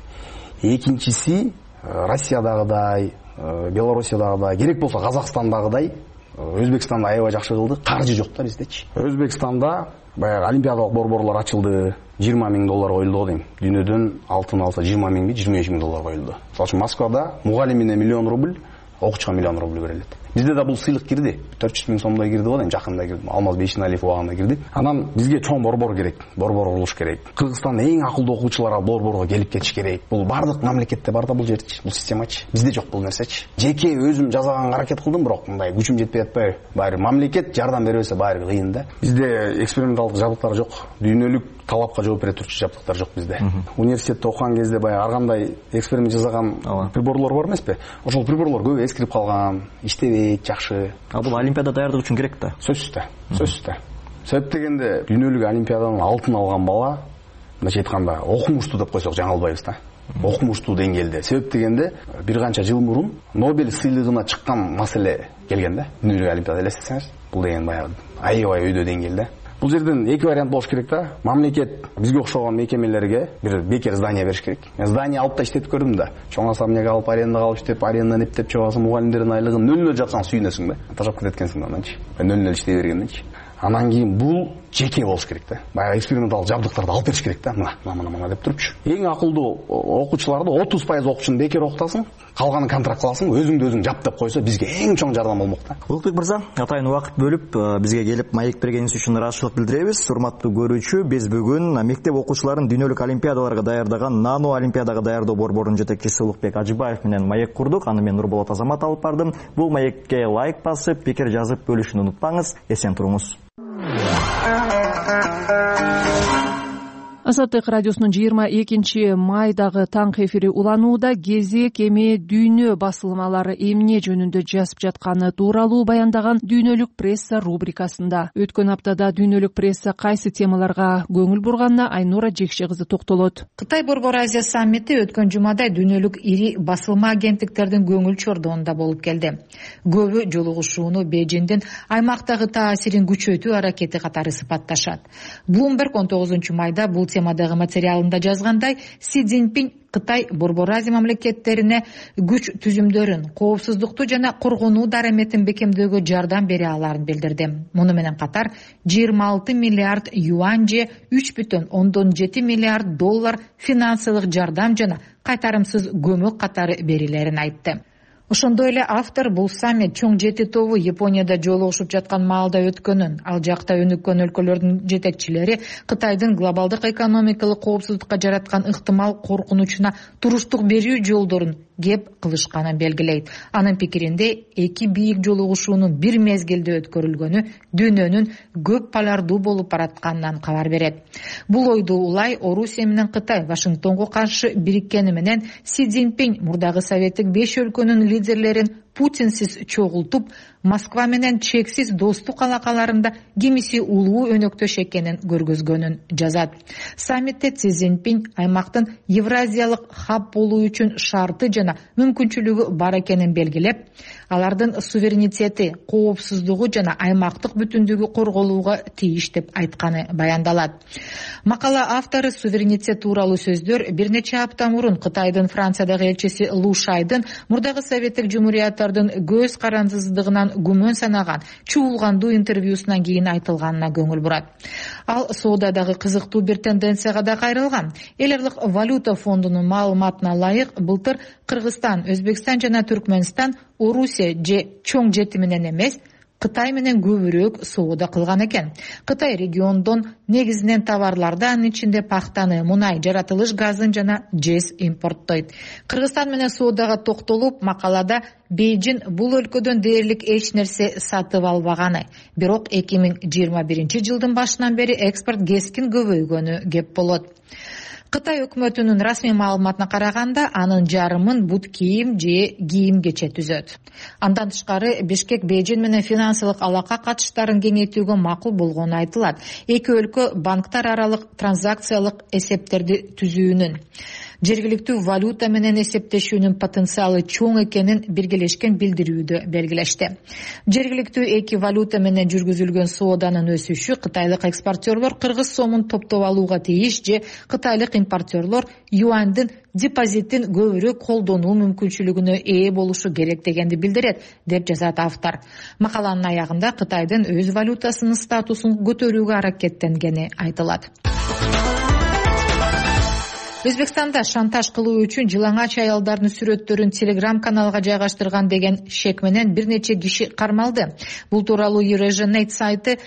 Экинчиси Россиядагыдай, Белоруссиядагыдай, керек болсо Казакстандагыдай, Өзбекстанда аябай жакшы кылды, каржы жок да биздечи. Өзбекстанда баягы олимпиадалык борборлор ачылды, жыйырма миң доллар коюлду дейм. Дүйнөдөн алтын алса жыйырма миңби, жыйырма беш миң доллар коюлду. Мисалы үчүн Москвада мугалимине миллион рубль, окуучуга миллион рубль берилет. Бизде да бул сыйлык кирди. төрт жүз миң сомдой кирди го дейм, жакында кирди. Алмаз Бейшеналиев убагында кирди. Анан бизге чоң борбор керек, борбор курулуш керек. Кыргызстандын эң акылдуу окуучулары борборго келип кетиш керек. Бул бардык мамлекетте бар да бул жерчи, бул системачы. Бизде жок бул нерсечи. Жеке өзүм жасаганга аракет кылдым, бирок мындай күчүм жетпей атпайбы. Баары мамлекет жардам бербесе баары кыйын да. Бизде эксперименталдык жабдыктар жок. Дүйнөлүк талапка жооп бере турчу жабдыктар жок бизде. Университетте окуган кезде баягы ар кандай эксперимент жасаган приборлор бар эмеспи? Ошол приборлор көп эскирип калган, иштебейт жакшы. А бул олимпиада даярдык үчүн керек да. Сөзсүз да. Сөзсүз да. Себеп дегенде дүйнөлүк олимпиаданын алтын алган бала, мындайча айтканда, окумуштуу деп койсок жаңылбайбыз да. Окумуштуу деңгээлде. Себеп дегенде бир канча жыл мурун Нобель сыйлыгына чыккан маселе келген да. Дүйнөлүк олимпиада элестетсеңиз, бул деген баягы аябай өйдө деңгээлде. Бул жерден эки вариант болуш керек да. Мамлекет бизге окшогон мекемелерге бир бекер здание бериш керек. Мен здание алып да иштетип көрдүм да. Чоң особняк алып, арендага алып иштеп, арендадан эптеп чыгасың, мугалимдердин айлыгын нөл-нөл жатсаң сүйүнөсүң да. Тажап кетет экенсиң ананчы. нөл-нөл иштей бергенденчи. Анан кийин бул жеке болуш керек да. Баягы эксперименталдык жабдыктарды алып бериш керек да. Мына, мына, мына деп турупчу. Эң акылдуу окуучуларды отуз пайыз окуучуну бекер окутасың, калганын контракт кыласың, өзүңдү өзүң жап деп койсо бизге эң чоң жардам болмок да. Улукбек мырза, атайын убакыт бөлүп бизге келип маек бергениңиз үчүн ыраазычылык билдиребиз. Урматтуу көрүүчү, биз бүгүн мектеп окуучуларын дүйнөлүк олимпиадаларга даярдаган Нано олимпиадага даярдоо борборунун жетекчиси Улукбек Ажыбаев менен маек курдук. Аны мен Нурболот Азамат алып бардым. Бул маекке лайк басып, пикир жазып бөлүшүнү унутпаңыз. Эсен туруңуз. Азаттык радиосунун жыйырма экинчи майдагы таңкы эфири уланууда. Кезек эми дүйнө басылмалары эмне жөнүндө жазып жатканы тууралуу баяндаган дүйнөлүк пресса рубрикасында. Өткөн аптада дүйнөлүк пресса кайсы темаларга көңүл бурганына Айнура Жекше кызы токтолот. Кытай Борбор Азия саммити өткөн жумада дүйнөлүк ири басылма агенттиктердин көңүл чордуунда болуп келди. Көбү жолугушууну Бейжиңдин аймактагы таасирин күчөтүү аракети катары сыпатташат. Bloomberg он тогузунчу майда бул темадагы материалында жазгандай, Си Цзиньпин Кытай Борбор Азия мамлекеттерине күч түзүмдөрүн, коопсуздукту жана коргонуу дараметин бекемдөөгө жардам бере аларын билдирди. Муну менен катар жыйырма алты миллиард юань же үч бүтүн ондон жети миллиард доллар финансылык жардам жана кайтарымсыз көмөк катары берилерин айтты. Ошондой эле автор бул саммит чоң жети тобу Японияда жолугушуп жаткан маалда өткөнүн, ал жакта өнүккөн өлкөлөрдүн жетекчилери Кытайдын глобалдык экономикалык коопсуздукка жараткан ыктымал коркунучуна туруштук берүү жолдорун кеп кылышканын белгилейт. Анын пикиринде эки бийик жолугушуунун бир мезгилде өткөрүлгөнү дүйнөнүн көп полярдуу болуп баратканынан кабар берет. Бул ойду улай Орусия менен Кытай Вашингтонго каршы бириккени менен Си Цзиньпин мурдагы советтик беш өлкөнүн лидерлерин Путинсиз чогултуп, Москва менен чексиз достук алакаларында кимиси улуу өнөктөш экенин көргөзгөнүн жазат. Саммитте Си Цзиньпин аймактын Евразиялык хаб болуу үчүн шарты жана мүмкүнчүлүгү бар экенин белгилеп, алардын суверенитети, коопсуздугу жана аймактык бүтүндүгү корголууга тийиш деп айтканы баяндалат. Макала автору суверенитет тууралуу сөздөр бир нече апта мурун Кытайдын Франциядагы элчиси Лу Шайдын мурдагы советтик жумурияттардын көз карандысыздыгынан күмөн санаган чуулгандуу интервьюсунан кийин айтылганына көңүл бурат. Ал соодадагы кызыктуу бир тенденцияга да кайрылган. Эл аралык валюта фондунун маалыматына ылайык, былтыр Кыргызстан, Өзбекстан жана Түркмөнстан Орусия же чоң жети менен эмес, Кытай менен көбүрөөк соода кылган экен. Кытай региондон негизинен товарларды, анын ичинде пахтаны, мунай, жаратылыш газын жана жез импорттойт. Кыргызстан менен соодага токтолуп, макалада Бейжиң бул өлкөдөн дээрлик эч нерсе сатып албаганы, бирок эки миң жыйырма биринчи жылдын башынан бери экспорт кескин көбөйгөнү кеп болот. Кытай өкмөтүнүн расмий маалыматына караганда, анын жарымын бут кийим же кийим кече түзөт. Андан тышкары Бишкек Бейжиң менен финансылык алака катыштарын кеңейтүүгө макул болгону айтылат. Эки өлкө банктар аралык транзакциялык эсептерди түзүүнүн, жергиликтүү валюта менен эсептешүүнүн потенциалы чоң экенин биргелешкен билдирүүдө белгилешти. Жергиликтүү эки валюта менен жүргүзүлгөн сооданын өсүшү кытайлык экспортерлор кыргыз сомун топтоп алууга тийиш же кытайлык импортерлор юандын депозитин көбүрөөк колдонуу мүмкүнчүлүгүнө ээ болушу керек дегенди билдирет, деп жазат автор. Макаланын аягында Кытайдын өз валютасынын статусун көтөрүүгө аракеттенгени айтылат. Өзбекстанда шантаж кылуу үчүн жылаңач аялдардын сүрөттөрүн Telegram каналга жайгаштырган деген шек менен бир нече киши кармалды. Бул тууралуу Eurasianet сайты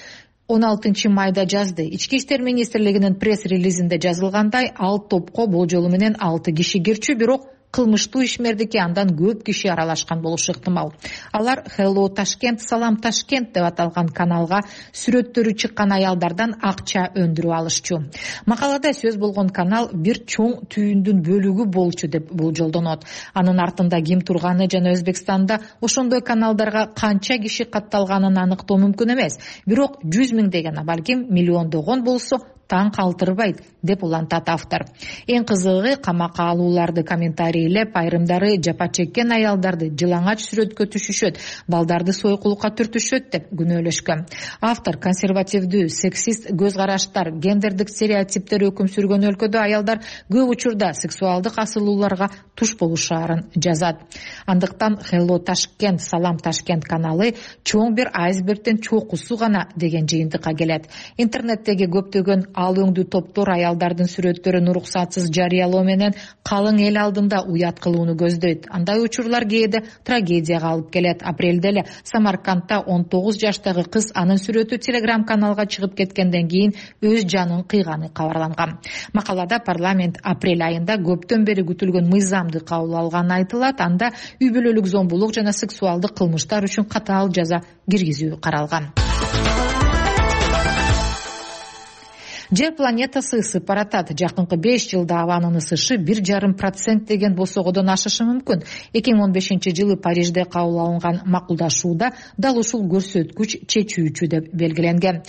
он алтынчы майда жазды. Ички иштер министрлигинин пресс-релизинде жазылгандай, ал топко болжолу менен алты киши кирчү, бирок кылмыштуу ишмердикке андан көп киши аралашкан болушу ыктымал. Алар Hello Tashkent, Салам Ташкент деп аталган каналга сүрөттөрү чыккан аялдардан акча өндүрүп алышчу. Макалада сөз болгон канал бир чоң түйүндүн бөлүгү болчу деп болжолдонот. Анын артында ким турганы жана Өзбекстанда ошондой каналдарга канча киши катталганын аныктоо мүмкүн эмес. Бирок жүз миңдеген, балким миллиондогон болсо таң калтырбайт, деп улантат автор. Эң кызыгы, камакка алууларды комментарийлеп, айрымдары жапа чеккен аялдарды жылаңач сүрөткө түшүшөт, балдарды сойкулукка түртүшөт деп күнөөлөшкөн. Автор консервативдүү, сексист көз караштар, гендердик стереотиптер өкүм сүргөн өлкөдө аялдар көп учурда сексуалдык асылууларга туш болушаарын жазат. Андыктан Hello Tashkent, Салам Ташкент каналы чоң бир айсбергдин чокусу гана деген жыйынтыкка келет. Интернеттеги көптөгөн ал өңдүү топтор аялдардын сүрөттөрүн уруксатсыз жарыялоо менен калың эл алдында уят кылууну көздөйт. Андай учурлар кээде трагедияга алып келет. Апрелде эле Самаркандта он тогуз жаштагы кыз анын сүрөтү Telegram каналга чыгып кеткенден кийин өз жанын кыйганы кабарланган. Макалада парламент апрель айында көптөн бери күтүлгөн мыйзамды кабыл алганы айтылат. Анда үй бүлөлүк зомбулук жана сексуалдык кылмыштар үчүн катаал жаза киргизүү каралган. Жер планетасы ысып баратат. Жакынкы беш жылда абанын ысышы бир жарым процент деген босогодон ашышы мүмкүн. эки миң он бешинчи жылы Парижде кабыл алынган макулдашууда дал ушул көрсөткүч чечүүчү деп белгиленген.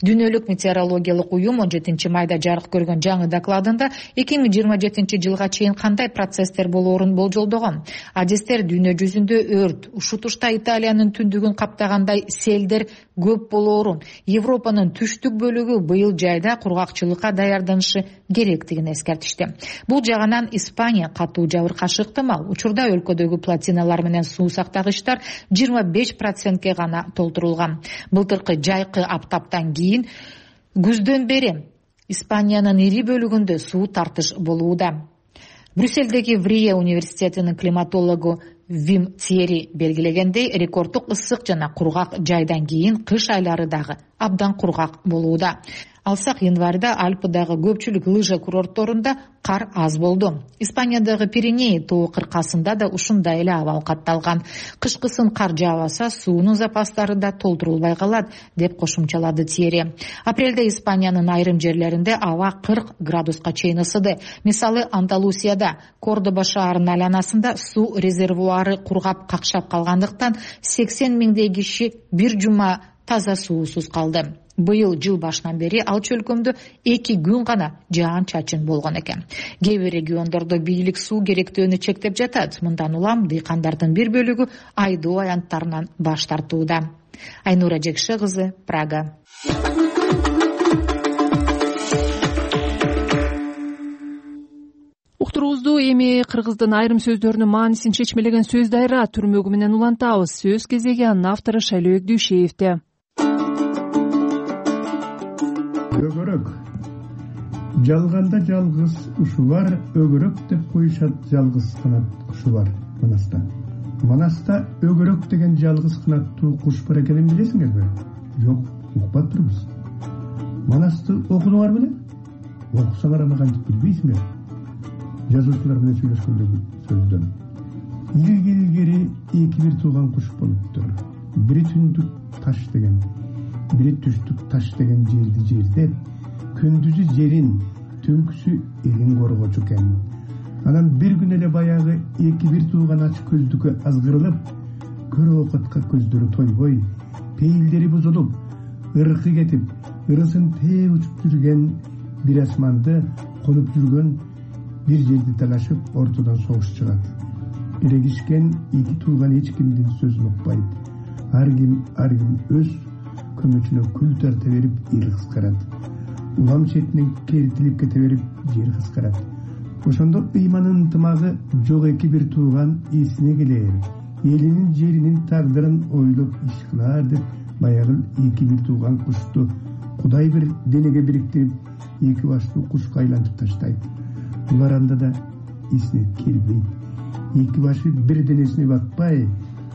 Дүйнөлүк метеорологиялык уюм он жетинчи майда жарык көргөн жаңы докладында эки миң жыйырма жетинчи жылга чейин кандай процесстер болоорун болжолдогон. Адистер дүйнө жүзүндө өрт, ушутушта Италиянын түндүгүн каптагандай селдер көп болоорун, Европанын түштүк бөлүгү быйыл жайда кургакчылыкка даярданышы керектигин эскертишти. Бул жагынан Испания катуу жабыркашы ыктымал. Учурда өлкөдөгү плотиналар менен суу сактагычтар жыйырма беш процентке гана толтурулган. Былтыркы жайкы аптаптан кийин күздөн бери Испаниянын ири бөлүгүндө суу тартыш болууда. Брюссельдеги Врие университетинин климатологу Вим Тьери белгилегендей, рекорддук ысык жана кургак жайдан кийин кыш айлары дагы абдан кургак болууда. Алсак, январда Альпыдагы көпчүлүк лыжа курортторунда кар аз болду. Испаниядагы Пиреней тоо кыркасында да ушундай эле абал катталган. Кышкысын кар жаабаса, суунун запастары да толтурулбай калат, деп кошумчалады Тьери. Апрелде Испаниянын айрым жерлеринде аба кырк градуска чейин ысыды. Мисалы, Андалусияда Кордоба шаарынын айланасында суу резервуары кургап какшап калгандыктан сексен миңдей киши бир жума таза суусуз калды. Быйыл жыл башынан бери ал чөлкөмдө эки күн гана жаан чачын болгон экен. Кээ бир региондордо бийлик суу керектөөнү чектеп жатат. Мындан улам дыйкандардын бир бөлүгү айдоо аянттарынан баш тартууда. Айнура Жекше кызы, Прага. Уктуруубузду эми кыргыздын айрым сөздөрүнүн маанисин чечмелеген сөз дайра түрмөгү менен улантабыз. Сөз кезеги анын автору Шайлообек Дүйшеевде. Өгөрөк. Жалганда жалгыз ушу бар, өгөрөк деп коюшат жалгыз канат кушу бар Манаста. Манаста өгөрөк деген жалгыз канаттуу куш бар экенин билесиңерби? Жок, укпаптырбыз. Манасты окудуңар беле? Окусаңар аны кантип билбейсиңер? Жазуучулар менен сүйлөшкөндөгү сөздөн. Илгери илгери эки бир тууган куш болуптур. Бири түндүк таш деген, бири түштүк таш деген жерди жердеп, күндүзү жерин, түнкүсү элин коргочу экен. Анан бир күн эле баягы эки бир тууган ач көздүккө азгырылып, көрө окутка көздөрү тойбой, пейилдери бузулуп, ыркы кетип, ырысын тээ учуп жүргөн бир асманды конуп жүргөн бир жерди талашып, ортодон согуш чыгат. Эрегишкен эки тууган эч кимдин сөзүн укпайт. Ар ким ар ким өз көмөчүнө күл тарта берип эл кыскарат. Улам четинен кертилип кете берип жер кыскарат. Ошондо ыйманын ынтымагы жок эки бир тууган эсине келер. Элинин жеринин тагдырын ойлоп иш кылар деп баягы эки бир тууган кушту Кудай бир денеге бириктирип, эки баштуу кушка айлантып таштайт. Булар анда да эсине келбейт. Эки башы бир денесине батпай,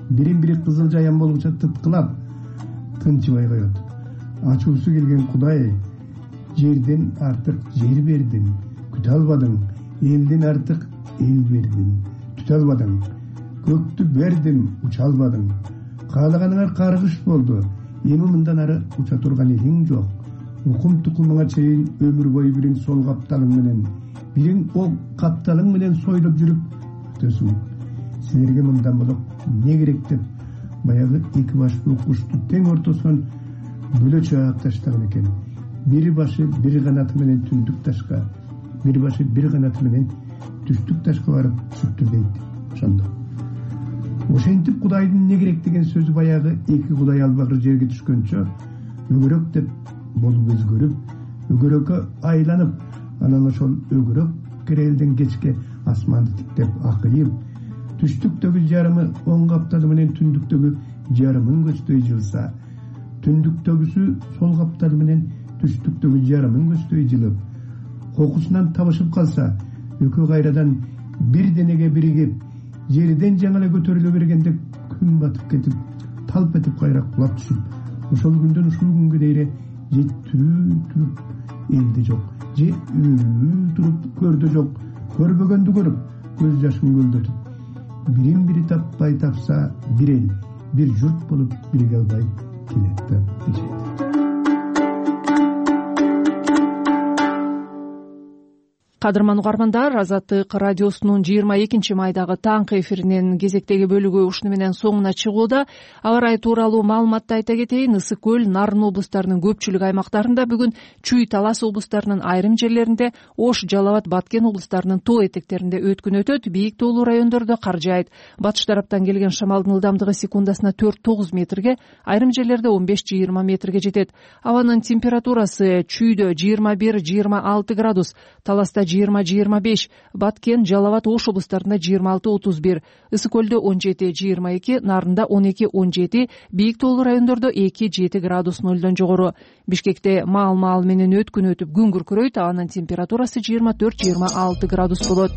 бирин-бири кызыл жаян болгуча тыткылап, тынчыбай коет. Ачуусу келген Кудай, жерден артык жер бердиң, күтө албадың, элден артык эл бердиң, түтө албадың, көктү бердим, уча албадың. Каалаганыңар каргыш болду, эми мындан ары уча турган элиң жок. Укум тукумуңа чейин өмүр бою бирин сол капталың менен, бирин о капталың менен сойлоп жүрүп өтөсүң. Силерге мындан болоп эмне керек деп баягы эки баштуу кушту тең ортосунан бөлө чаап таштаган экен. Бир башы бир канаты менен түндүк ташка, бир башы бир канаты менен түштүк ташка барып түшүптүр дейт. Ошондо ошентип Кудайдын эмне керек деген сөзү баягы эки Кудай албагыр жерге түшкөнчө өгөрөк деп болуп өзгөрүп, өгөрөккө айланып, анан ошол өгөрөк керелден кечке асманды тиктеп акыйып, түштүктөгү жарымы оң капталы менен түндүктөгү жарымын көздөй жылса, түндүктөгүсү сол капталы менен түштүктөгү жарымын көздөй жылып, кокусунан табышып калса, экөө кайрадан бир денеге биригип, жерден жаңы эле көтөрүлө бергенде күн батып кетип, талп этип кайра кулап түшүп, ошол күндөн ушул күнгө дейре же тирүү туруп элде жок, же өлүү туруп көрдө жок, көрбөгөндү көрүп, көз жашын көлдөтүп, бирин бири таппай тапса, бир эл, бир журт болуп бирге албай келет деп дешет. кадырман угармандар, Азаттык радиосунун жыйырма экинчи майдагы таңкы эфиринин кезектеги бөлүгү ушуну менен соңуна чыгууда. Аба ырайы тууралуу маалыматты айта кетейин. Ысык көл, Нарын облустарынын көпчүлүк аймактарында бүгүн Чүй, Талас облустарынын айрым жерлеринде, Ош, Жалал абад, Баткен облустарынын тоо этектеринде өткүн өтөт. Бийик тоолуу райондордо кар жаайт. Батыш тараптан келген шамалдын ылдамдыгы секундасына төрт тогуз метрге, айрым жерлерде он беш жыйырма метрге жетет. Абанын температурасы Чүйдө жыйырма бир жыйырма алты градус, Таласта жыйырма жыйырма беш, Баткен, Жалал абад, Ош облустарында жыйырма алты отуз бир, Ысык көлдө он жети жыйырма эки, Нарында он эки он жети, бийик тоолуу райондордо эки жети градус нөлдөн жогору. Бишкекте маал-маал менен өткүн өтүп күн күркүрөйт. Анын температурасы жыйырма төрт жыйырма алты градус болот.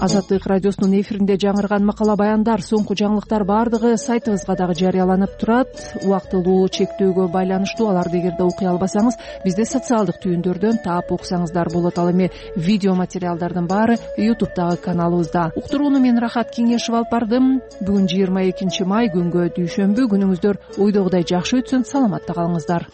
Азаттык радиосунун эфиринде жаңырган макала баяндар, соңку жаңылыктар баардыгы сайтыбызга дагы жарыяланып турат. Убактылуу чектөөгө байланыштуу аларды эгерде окуй албасаңыз, бизде социалдык түйүндөрдөн таап окусаңыздар болот. Ал эми видео материалдардын баары ютубтагы каналыбызда. Уктурууну мен Рахат Кеңешев алып бардым. Бүгүн жыйырма экинчи май, күнгө дүйшөмбү. Күнүңүздөр ойдогудай жакшы өтсүн, саламатта калыңыздар.